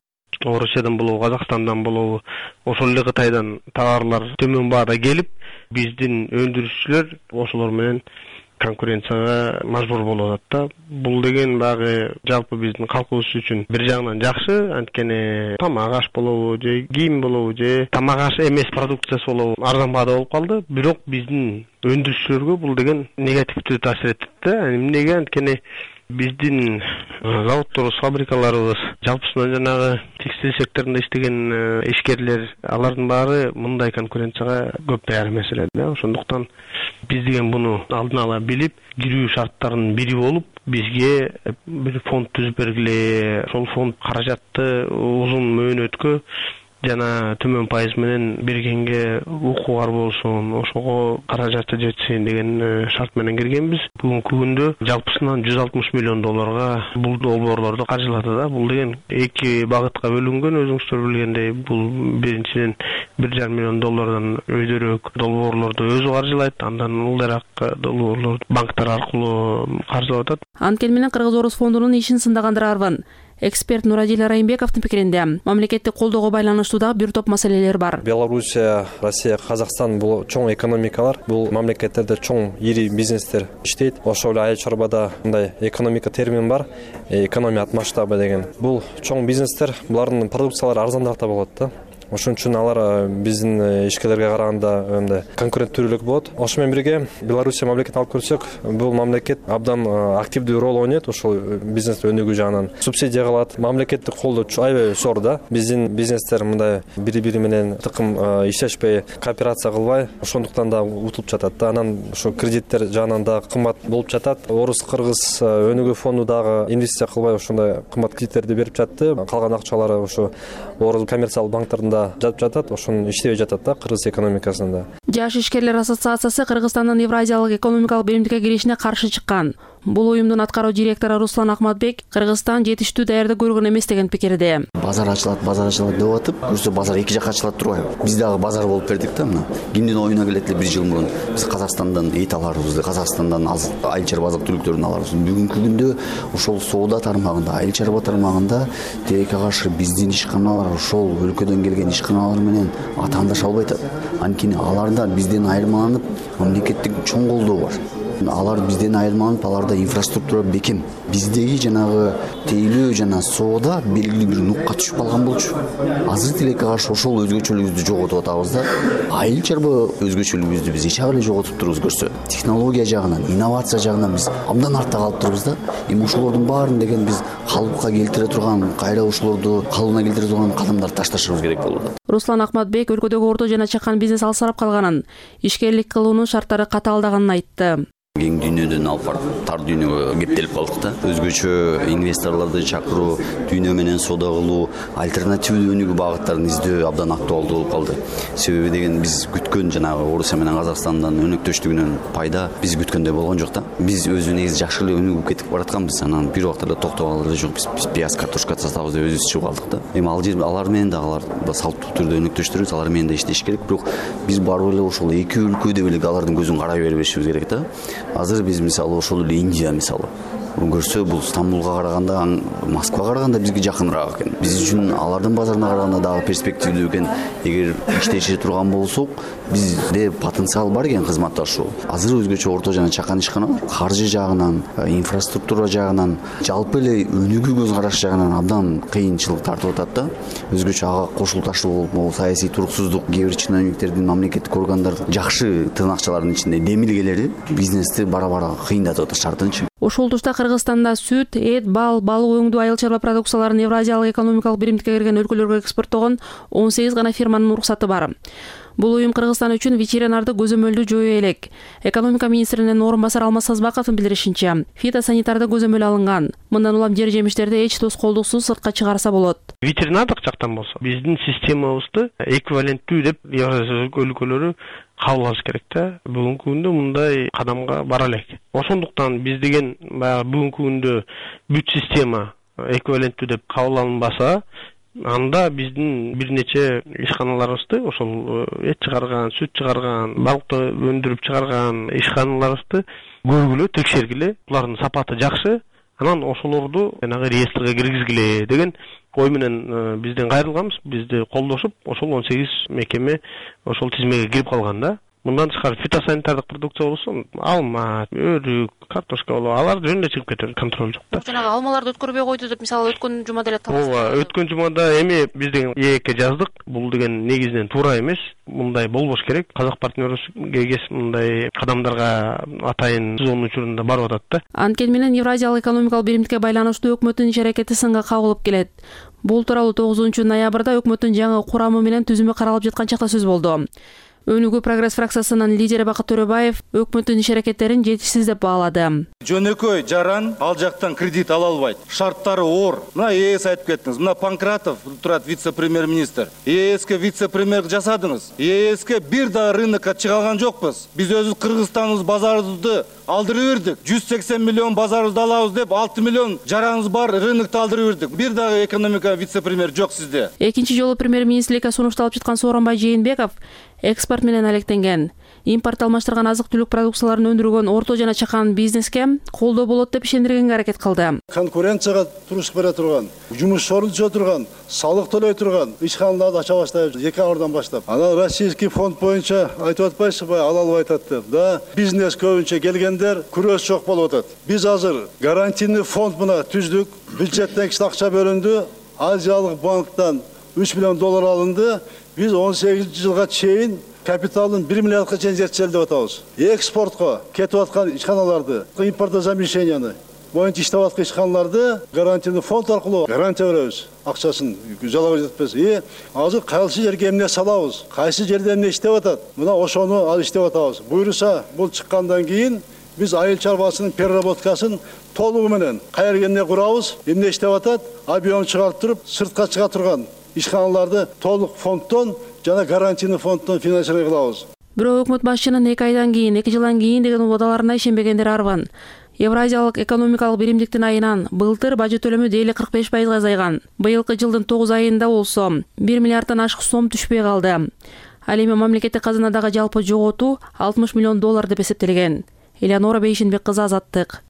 Орусиядан болобу, Казакстандан болобу, ошол эле Кытайдан товарлар төмөн баада келип, биздин өндүрүшчүлөр ошолор менен конкуренцияга мажбур болуп атат да. Бул деген багы жалпы биздин калкыбыз үчүн бир жагынан жакшы, анткени тамак аш болобу, же кийим болобу, же тамак аш эмес продукциясы болобу арзан баада болуп калды. Бирок биздин өндүрүшчүлөргө бул деген негативдүү таасир этет да. Эмнеге? Анткени биздин заводторубуз, фабрикаларыбыз, жалпысынан жанагы текстиль секторунда иштеген ишкерлер, алардын баары мындай конкуренцияга көп даяр эмес эле да. Ошондуктан биз деген буну алдын ала билип, кирүү шарттарынын бири болуп, бизге бир фонд түзүп бергиле. Ошол фонд каражатты узун мөөнөткө жана төмөн пайыз менен бергенге укугар болсун, ошого каражаты жетсин деген шарт менен киргенбиз. Бүгүнкү күндө жалпысынан $160 миллион бул долбоорлорду каржылады да. Бул деген эки багытка бөлүнгөн, өзүңүздөр билгендей. Бул биринчиден $1,5 миллион өйдөрөөк долбоорлорду өзү каржылайт, андан ылдыраак долбоорлорду банктар аркылуу каржылап атат. Анткени менен Кыргыз-Орус фондунун ишин сындагандарарбын. Эксперт Нурадил Райымбековдун пикиринде мамлекеттик колдоого байланыштуу дагы бир топ маселелер бар. Белоруссия, Россия, Казакстан бул чоң экономикалар. Бул мамлекеттерде чоң ири бизнестер иштейт. Ошол эле айыл чарбада мындай экономика термин бар. Экономия от масштаба деген. Бул чоң бизнестер, булардын продукциялары арзандаак да болот да. ошон үчүн алар биздин ишкерлерге караганда мындай конкуренттүүлүк болот. Ошо менен бирге Белоруссия мамлекетин алып көрсөк, бул мамлекет абдан активдүү роль ойнойт ошол бизнес өнүгүү жагынан. Субсидия кылат, мамлекеттик колдоо аябай зор да. Биздин бизнестер мындай бири-бири менен тыкым иштешпей, кооперация кылбай, ошондуктан да утулуп жатат да. Анан ошо кредиттер жагынан да кымбат болуп жатат. Орус-кыргыз өнүгүү фонду дагы инвестиция кылбай ошондой кымбат кредиттерди берип жатты. Калган акчалары ошо орус коммерциялык банктарында жатып жатат, ошону иштебей жатат да кыргыз экономикасында. Жаш ишкерлер ассоциациясы Кыргызстандын Евразиялык экономикалык биримдикке киришине каршы чыккан. Бул уюмдун аткаруу директору Руслан Акматбек Кыргызстан жетиштүү даярдык көргөн эмес деген пикирде. Базар ачылат деп атып, көрсө базар эки жакка ачылат турбайбы? Биз дагы базар болуп бердик да мына. Кимдин оюна келет эле 1 жыл мурун биз Казакстандан эт аларбыз, Казакстандан айыл чарба азык-түлүктөрүн аларбыз. Бүгүнкү күндө ошол соода тармагында, айыл чарба тармагында тилекке каршы биздин ишканалар ошол өлкөдөн келген ишканалар менен атаандаша албай атат. Анткени аларда бизден айырмаланып мамлекеттик чоң колдоо бар. Алар бизден айырмаланып, аларда инфраструктура бекем. Биздеги жанагы тейлөө жана соода белгилүү бир нукка түшүп калган болчу. Азыр тилекке каршы ошол өзгөчөлүгүбүздү жоготуп атабыз да. Айыл чарба өзгөчөлүгүбүздү биз эч агы эле жоготуп турубуз көрсө. Технология жагынан, инновация жагынан биз абдан артта калып турубуз да. Эми ошолордун баарын деген биз калыпка келтире турган, кайра ошолорду калыбына келтире турган кадамдарды ташташыбыз керек болот. Руслан Акматбек өлкөдөгү орто жана чакан бизнес алсырап калганын, ишкерлик кылуунун шарттары катаалдаганын айтты. Кең дүйнөдөн алып барып тар дүйнөгө кептелип калдык да. Өзгөчө инвесторлорду чакыруу, дүйнө менен соода кылуу, альтернативдүү өнүгүү багыттарын издөө абдан актуалдуу болуп калды. Себеби деген биз күткөн жанагы Орусия менен Казакстандын өнөктөштүгүнөн пайда биз күткөндөй болгон жок да. Биз өзүбүз жакшы эле өнүгүп кетип баратканбыз. Анан бир убакта эле токтогон эле жок. Биз пияз, картошка сатабыз деп өзүбүз чыгып калдык да. Эми алар менен да салттуу түрдө өнөктөштүрөбүз, алар менен да иштеш керек. Бирок биз барып эле ошол эки өлкө деп эле алардын көзүн карай бербешибиз керек да. Азыр биз мисалы ошол эле Индия мисалы көрсө, бул Стамбулга караганда, Москвага караганда бизге жакыныраак экен. Биз үчүн алардын базарына караганда дагы перспективдүү экен. Эгер иштеше турган болсок, бизде потенциал бар экен кызматташуу. Азыр өзгөчө орто жана чакан ишканалар каржы жагынан, инфраструктура жагынан, жалпы эле өнүгүү көз караш жагынан абдан кыйынчылык тартып атат да. Өзгөчө ага кошулташтуу болуп, саясий туруксуздук, кээ бир чиновниктердин, мамлекеттик органдардын жакшы тырнакчалардын ичинде демилгелери бизнести бара-бара кыйындатып атат шартынчы. Ошол тушта Кыргызстанда сүт, эт, балык өңдүү, айыл чарба продукцияларын Евразиялык экономикалык биримдикке кирген өлкөлөргө экспорттогон 18 гана фирманын уруксаты бар. Бул уюм Кыргызстан үчүн ветеринардык көзөмөлдү жойо элек. Экономика министринин орун басары Алмаз Сазбаковдун билдиришинче, фитосанитардык көзөмөл алынган. Мындан улам жер жемиштерди эч тоскоолдуксуз сыртка чыгарса болот. Ветеринардык жактан болсо, биздин системабызды эквиваленттүү деп Евразия өлкөлөрү кабыл алыш керек да. Бүгүнкү күндө мындай кадамга бара элек. Ошондуктан биз деген баягы бүгүнкү күндө бүт система эквиваленттүү деп кабыл алынбаса, анда биздин бир нече ишканаларыбызды, ошол эт чыгарган, сүт чыгарган, балыкты өндүрүп чыгарган ишканаларыбызды көргүлө, текшергиле, булардын сапаты жакшы, анан ошолорду жанагы реестрге киргизгиле деген ой менен бизден кайрылганбыз. Бизди колдошуп, ошол 18 мекеме ошол тизмеге кирип калган да. Мындан тышкары фитосанитардык продукция болсо, алма, өрүк, картошка болобу, алар жөн эле чыгып кетет, контроль жок да. Жанагы алмаларды өткөрбөй койду деп, мисалы өткөн жумада эле табылды. Ооба, өткөн жумада эми биз деген ээкке жаздык. Бул деген негизинен туура эмес. Мындай болбош керек. Казак партнерге мындай кадамдарга атайын сезон учурунда барып атат да. Анткени менен Евразиялык экономикалык биримдикке байланыштуу өкмөттүн иш-аракети сынга кагылып келет. Бул тууралуу 9-ноябрда өкмөттүн жаңы курамы менен түзүмү каралып жаткан чакта сөз болду. Өнүгүү прогресс фракциясынын лидери Бакыт Төрөбаев өкмөттүн иш-аракеттерин жетишсиз деп баалады. Жөнөкөй жаран ал жактан кредит ала албайт. Шарттары оор. Мына ЕС айтып кеттиңиз. Мына Панкратов турат вице-премьер-министр. ЕСке вице-премьер жасадыңыз. ЕСке бир да рынокко чыга алган жокпуз. Биз өзүбүз Кыргызстаныбыз базарыбызды алдырып бердик. 180 миллион базарыбызды алабыз деп 6 миллион жараныбыз бар рынокту алдырып бердик. Бир дагы экономика вице-премьер жок сизде. Экинчи жолу премьер-министрликке сунушталып жаткан Сооронбай Жээнбеков экспорт менен алектенген. Импорт алмаштырган азык-түлүк продукцияларын өндүргөн орто жана чакан бизнеске колдоо болот деп ишендиргенге аракет кылды. Конкуренцияга туруш бере турган, жумуш орун түзө турган, салык төлөй турган ишканаларды ача баштайбыз 2 айдан баштап. Анан российский фонд боюнча айтып атпайсызбы, ала албай атат деп. Да, бизнес көбүнчө келгендер күрөш жок болуп атат. Биз азыр гарантийный фонд мына түздүк, бюджеттен кичи акча бөлүндү, Азиялык банктан 3 миллион доллар алынды. Биз 18 жылга чейин капиталын 1 миллиардка чейин зерттелди деп атабыз. Экспортко кетип аткан ишканаларды, импортозамещенияны боюнча иштеп аткан ишканаларды гарантийный фонд аркылуу гарантия беребиз. Акчасын жалап жетпес. Азыр кайсы жерге эмне салабыз, кайсы жерде эмне иштеп атат. Мына ошону ал иштеп атабыз. Буйруса бул чыккандан кийин биз айыл чарбасынын переработкасын толугу менен кайерге эмне курабыз, эмне иштеп атат, объем чыгарып туруп, сыртка чыга турган ишканаларды толук фонддон жана гарантийный фонддон финансирование кылабыз. Бирок өкмөт башчынын 2 жылдан кийин деген убадаларына ишенбегендер арбан. Евразиялык экономикалык биримдиктин айынан былтыр бажы төлөмү дейли 45% азайган. Быйылкы жылдын 9 айында болсо 1 миллиарддан ашык сом түшпөй калды. Ал эми мамлекеттик казынадагы жалпы жоготуу 60 миллион доллар деп эсептелген. Элеонора Бейшенбек кызы, Азаттык.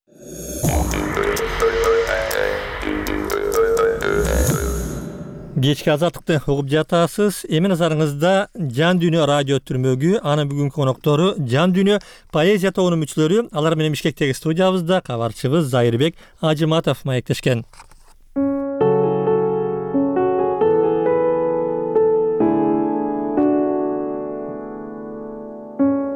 Кечки Азаттыкты угуп жатасыз. Эми назарыңызда Жан Дүйнө радио түрмөгү. Анын бүгүнкү коноктору Жан Дүйнө поэзия тобунун мүчөлөрү. Алар менен Бишкектеги студиябызда кабарчыбыз Зайырбек Ажыматов маектешкен.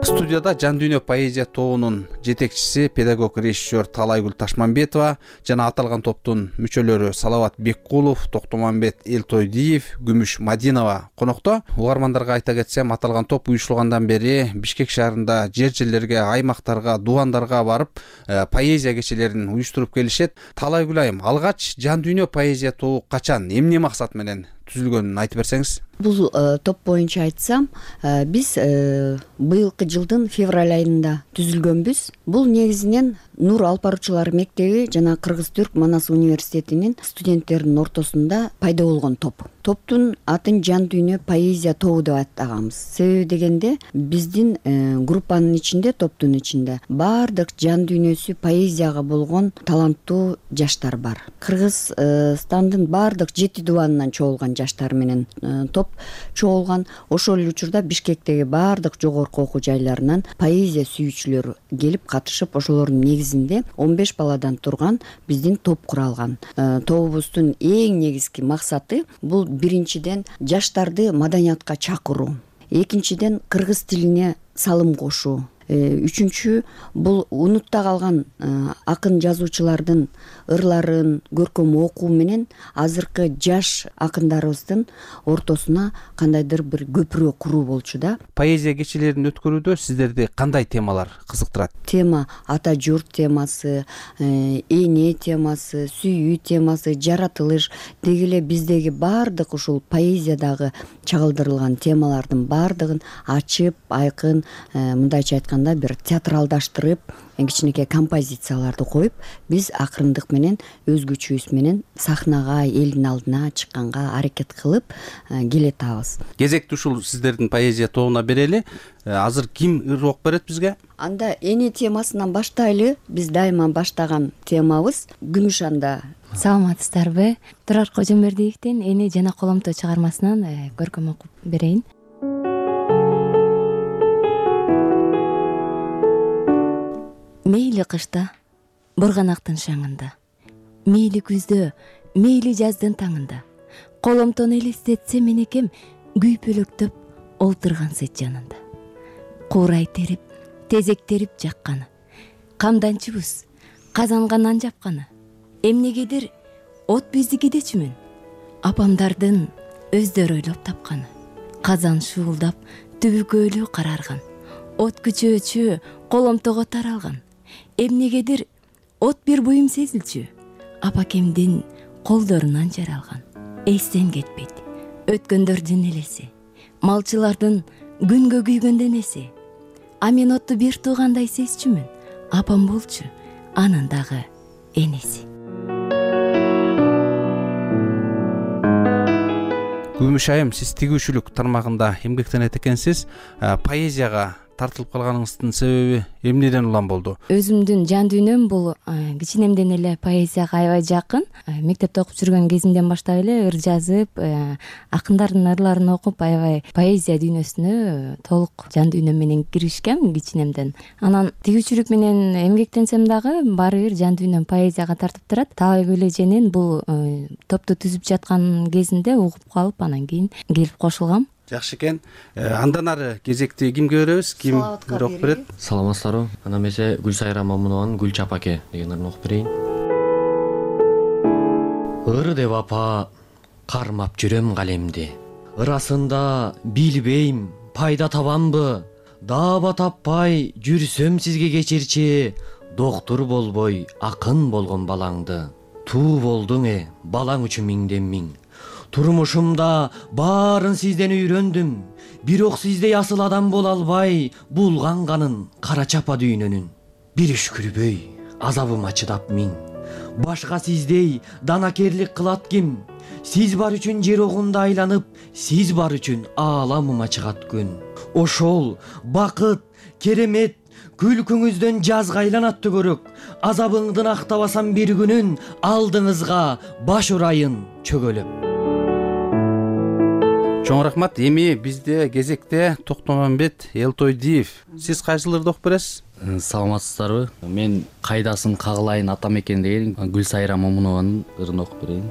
Студияда Жан Дүйнө поэзия тобунун жетекчиси, педагог режиссер Талайгүл Ташманбетова жана аталган топтун мүчөлөрү Салават Беккулов, Токтомамбет Элтойдиев, Күмүш Мадинова конокто. Угармандарга айта кетсем, аталган топ уюштургандан бери Бишкек шаарында жер-жерлерге, аймактарга, дубандарга барып, поэзия кечелерин уюштуруп келишет. Талайгүл айым, алгач Жан Дүйнө поэзия тобу качан, эмне максат менен түзүлгөнүн айтып берсеңиз. Бул топ боюнча айтсам, биз быйылкы жылдын февраль айында түзүлгөнбүз. Бул негизинен Нур Алпаручулар мектеби жана Кыргыз-Түрк Манас университетинин студенттеринин ортосунда пайда болгон топ. Топтун атын Жан Дүйнө поэзия тобу деп атаганбыз. Себеби дегенде биздин группанын ичинде, топтун ичинде баардык жан дүйнөсү поэзияга болгон таланттуу жаштар бар. Кыргызстандын баардык 7 дубанынан чогулган жаштар менен топ чогулган. Ошол учурда Бишкектеги баардык жогорку окуу жайларынан поэзия сүйүүчүлөр келип катышып, ошолордун негизинде 15 баладан турган биздин топ куралган. Тобубуздун эң негизги максаты бул биринчиден жаштарды маданиятка чакыруу, экинчиден кыргыз тилине салым кошуу, үчүнчү бул унутта калган акын жазуучулардын ырларын көркөм окуу менен азыркы жаш акындарыбыздын ортосуна кандайдыр бир көпүрө куруу болчу да. Поэзия кечелерин өткөрүүдө сиздерди кандай темалар кызыктырат? Тема ата журт темасы, эне темасы, сүйүү темасы, жаратылыш, деги эле биздеги баардык ушул поэзиядагы чагылдырылган темалардын баардыгын ачып, айкын, мындайча айтканда бир театралдаштырып, кичинекей композицияларды коюп, биз акырындык менен өзгөчөбүз менен сахнага, элдин алдына чыкканга аракет кылып келетабыз. Кезекти ушул сиздердин поэзия тобуна берели. Азыр ким ыр окуп берет бизге? Анда эне темасынан баштайлы. Биз дайыма баштаган темабыз Күмүш анда. Саламатсыздарбы? Турар Кожомбердиевдин Эне жана коломто чыгармасынан көркөм окуп берейин. Мейли кышта, бурганактын шаңында, мейли күздө, мейли жаздын таңында, коломтону элестетсе менекем күйпөлөктөп олтурган сет жанында. Куурай терип, тезектерип жакканы, камданчыбыз, казанганан жапканы, эмнегедир от биздикидечүмүн, апамдардын өздөрү ойлоп тапканы, казан шуулдап, түбүкөлүү карарган, от күчөөчү коломтого таралган, эмнегедир от бир буюм сезилчү, апакемдин колдорунан жаралган. Эстен кетпейт өткөндөрдүн элеси, малчылардын күнгө күйгөн денеси. А мен отту бир туугандай сезчүмүн, апам болчу, анын дагы энеси. Күмүш айым, сиз тигүүчүлүк тармагында эмгектенет экенсиз. Поэзияга тартылып калганыңыздын себеби эмнеден улам болду? Өзүмдүн жан дүйнөм бул кичинемден эле поэзияга аябай жакын. Мектепте окуп жүргөн кезимден баштап эле ыр жазып, акындардын ырларын окуп, аябай поэзия дүйнөсүнө толук жан дүйнөм менен киришкем кичинемден. Анан тигүүчүлүк менен эмгектенсем дагы баары бир жан дүйнөм поэзияга тартып турат. Талай Көлеженин бул топту түзүп жаткан кезинде угуп калып, анан кийин келип кошулгам. Жакшы экен. Андан ары кезекти кимге беребиз? Ким окуп берет? Саламатсыздарбы. Анда эмесе Гүлсайра Мамунованын Гүл чапаке деген ырын окуп берейин. Ыр деп апа кармап жүрөм калемди. Ырасында билбейм пайда табамбы? Даба таппай жүрсөм сизге кечирчи, доктур болбой акын болгон балаңды. Туу болдуң балаң үчүн миңден миң. Турмушумда баарын сизден үйрөндүм. Бирок сиздей асыл адам боло албай булганганын кара чапа дүйнөнүн. Бир үшкүрбөй азабыма чыдап миң. Башка сиздей данакерлик кылат ким? Сиз бар үчүн жер огунда айланып, сиз бар үчүн ааламыма чыгат күн. Ошол бакыт, керемет күлкүңүздөн жазга айланат түгөрөк. Азабыңдын актабасам бир күнүн, алдыңызга баш урайын чөгөлөп. Чоң рахмат. Эми бизде кезекте Токтомамбет Элтойдиев. Сиз кайсыларды окуп бересиз? Саламатсыздарбы? Мен кайдасын кагылайын атам экен деген Гүлсайра Момунованын ырын окуп берейин.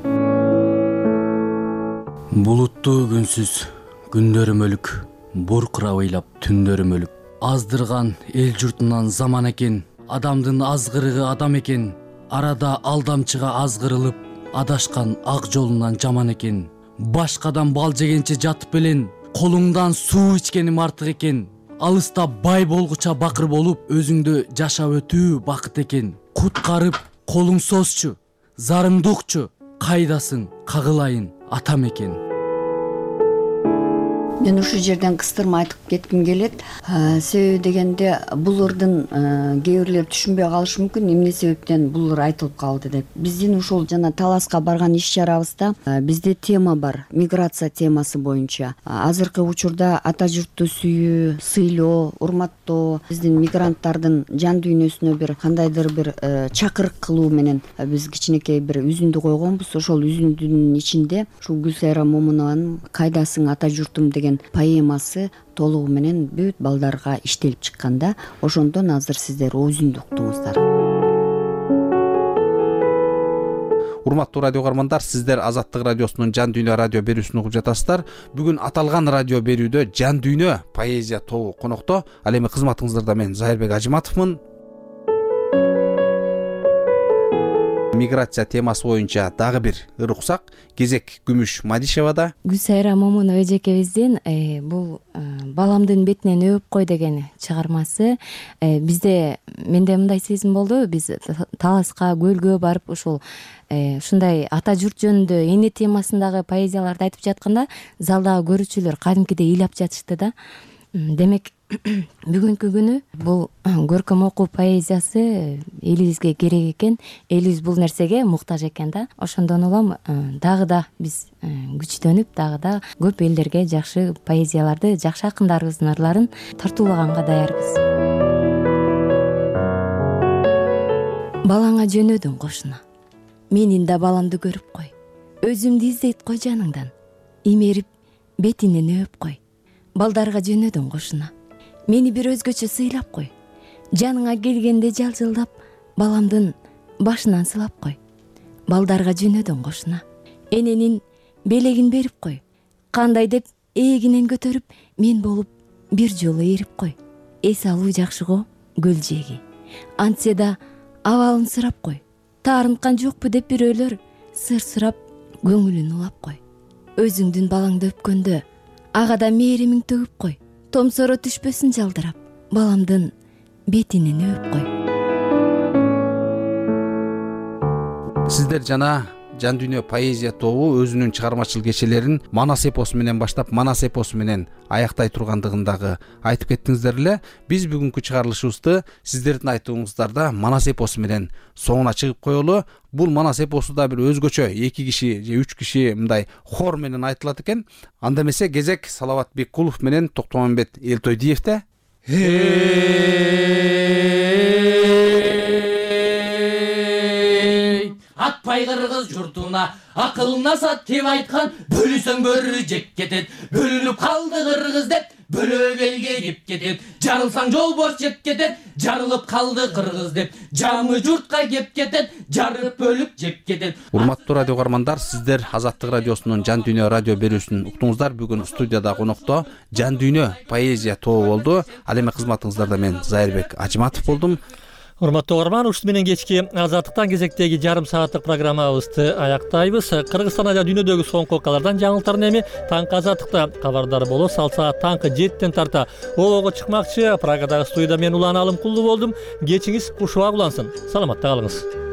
Булуттуу күнсүз күндөрүм өлүк, буркурап ыйлап түндөрүм өлүк. Аздырган эл журтунан заман экен, адамдын азгырыгы адам экен. Арада алдамчыга азгырылып, адашкан ак жолунан жаман экен. Башкадан бал жегенче жатып элен, колуңдан суу ичкеним артык экен. Алыста бай болгуча бакыр болуп, өзүңдү жашап өтүү бакыт экен. Куткарып колуң созчу, зарыңды укчу, кайдасың кагылайын атам экен. Мен ушул жерден кыстырма айтып кетким келет. Себеби дегенде бул ырдын кээ бирлер түшүнбөй калышы мүмкүн, эмне себептен бул ыр айтылып калды деп. Биздин ушул жана Таласка барган иш чарабызда бизде тема бар, миграция темасы боюнча. Азыркы учурда ата журтту сүйүү, сыйлоо, урматтоо, биздин мигранттардын жан дүйнөсүнө бир кандайдыр бир чакырык кылуу менен биз кичинекей бир үзүндү койгонбуз. Ошол үзүндүнүн ичинде ушул Гүлсайра Момунованын Кайдасың ата журтум деген поэмасы толугу менен бүт балдарга иштелип чыкканда, ошондон азыр сиздер өзүндү уктуңуздар. Урматтуу радио каармандар, сиздер Азаттык радиосунун Жан дүйнө радио берүүсүн угуп жатасыздар. Бүгүн аталган радио берүүдө Жан дүйнө поэзия тобу конокто. Ал эми кызматыңыздарда мен Зайырбек Ажыматовмун. Миграция темасы боюнча дагы бир ыр уксак. Кезек Күмүш Мадишевада. Гүлсайра Момунова эжекебиздин бул баламдын бетинен өп кой деген чыгармасы. Бизде менде мындай сезим болду. Биз Таласка, көлгө барып ушул ушундай ата журт жөнүндө эне темасындагы поэзияларды айтып жатканда, залдагы көрүүчүлөр кадимкидей ыйлап жатышты да. Демек, бүгүнкү күнү бул көркөм окуу поэзиясы элибизге керек экен. Элибиз бул нерсеге муктаж экен да. Ошондон улам дагы да биз күчтөнүп, дагы да көп элдерге жакшы поэзияларды, жакшы акындарыбыздын ырларын тартуулаганга даярбыз. Балаңа жөнөдүң кошуна. Менин да баламды көрүп кой. Өзүмдү издейт кой жаныңдан. Имерип бетинен өп кой. Балдарга жөнөдүң кошуна. Мени бир өзгөчө сыйлап кой. Жаныңа келгенде жалжылдап, баламдын башынан сылап кой. Балдарга жөнөдүң кошуна. Эненин белегин берип кой. Кандай деп эгинен көтөрүп, мен болуп бир жолу эрип кой. Эс алуу жакшыго көл жеги. Антсе да абалын сурап кой. Таарынткан жокпу деп бирөөлөр сыр сурап көңүлүн улап кой. Өзүңдүн балаңды өпкөндө ага да мээримиң төгүп кой. Томсоро түшпөсүн жалдырап, баламдын бетинен өп кой. Сиздер жана Жан дүйнө поэзия тобу өзүнүн чыгармачыл кечелерин Манас эпосу менен баштап, Манас эпосу менен аяктай тургандыгын дагы айтып кеттиңиздер эле. Биз бүгүнкү чыгарылышыбызды сиздердин айтууңуздарда Манас эпосу менен соңуна чыгып коелу. Бул Манас эпосу да бир өзгөчө 2 киши же 3 киши мындай хор менен айтылат экен. Анда эмесе кезек Салават Беккулов менен Токтомамбет Элтойдиевде. Атпай кыргыз журтуна акылына сат деп айткан, бөлүсөң бөрү жеп кетет. Бөлүнүп калды кыргыз деп бөлөп элге кеп кетет. Жарылсаң жолборс жеп кетет. Жарылып калды кыргыз деп жаңы журтка кеп кетет. Жарып бөлүп жеп кетет. Урматтуу радио каармандар, сиздер Азаттык радиосунун Жан дүйнө радио берүүсүн уктуңуздар. Бүгүн студияда конокто Жан дүйнө поэзия тобу болду. Ал эми кызматыңыздарда мен Зайырбек Ажиматов болдум. Урматтуу угарман, ушуну менен кечки Азаттыктан кезектеги жарым сааттык программабызды аяктайбыз. Кыргызстан жана дүйнөдөгү соңку окуялардан жаңылыктарын эми таңкы Азаттыкта кабардар боло салса таңкы 7-тен тарта обого чыкмакчы. Прагадагы студияда мен Улан Алымкулду болдум. Кечиңиз кушубак улансын. Саламатта калыңыз.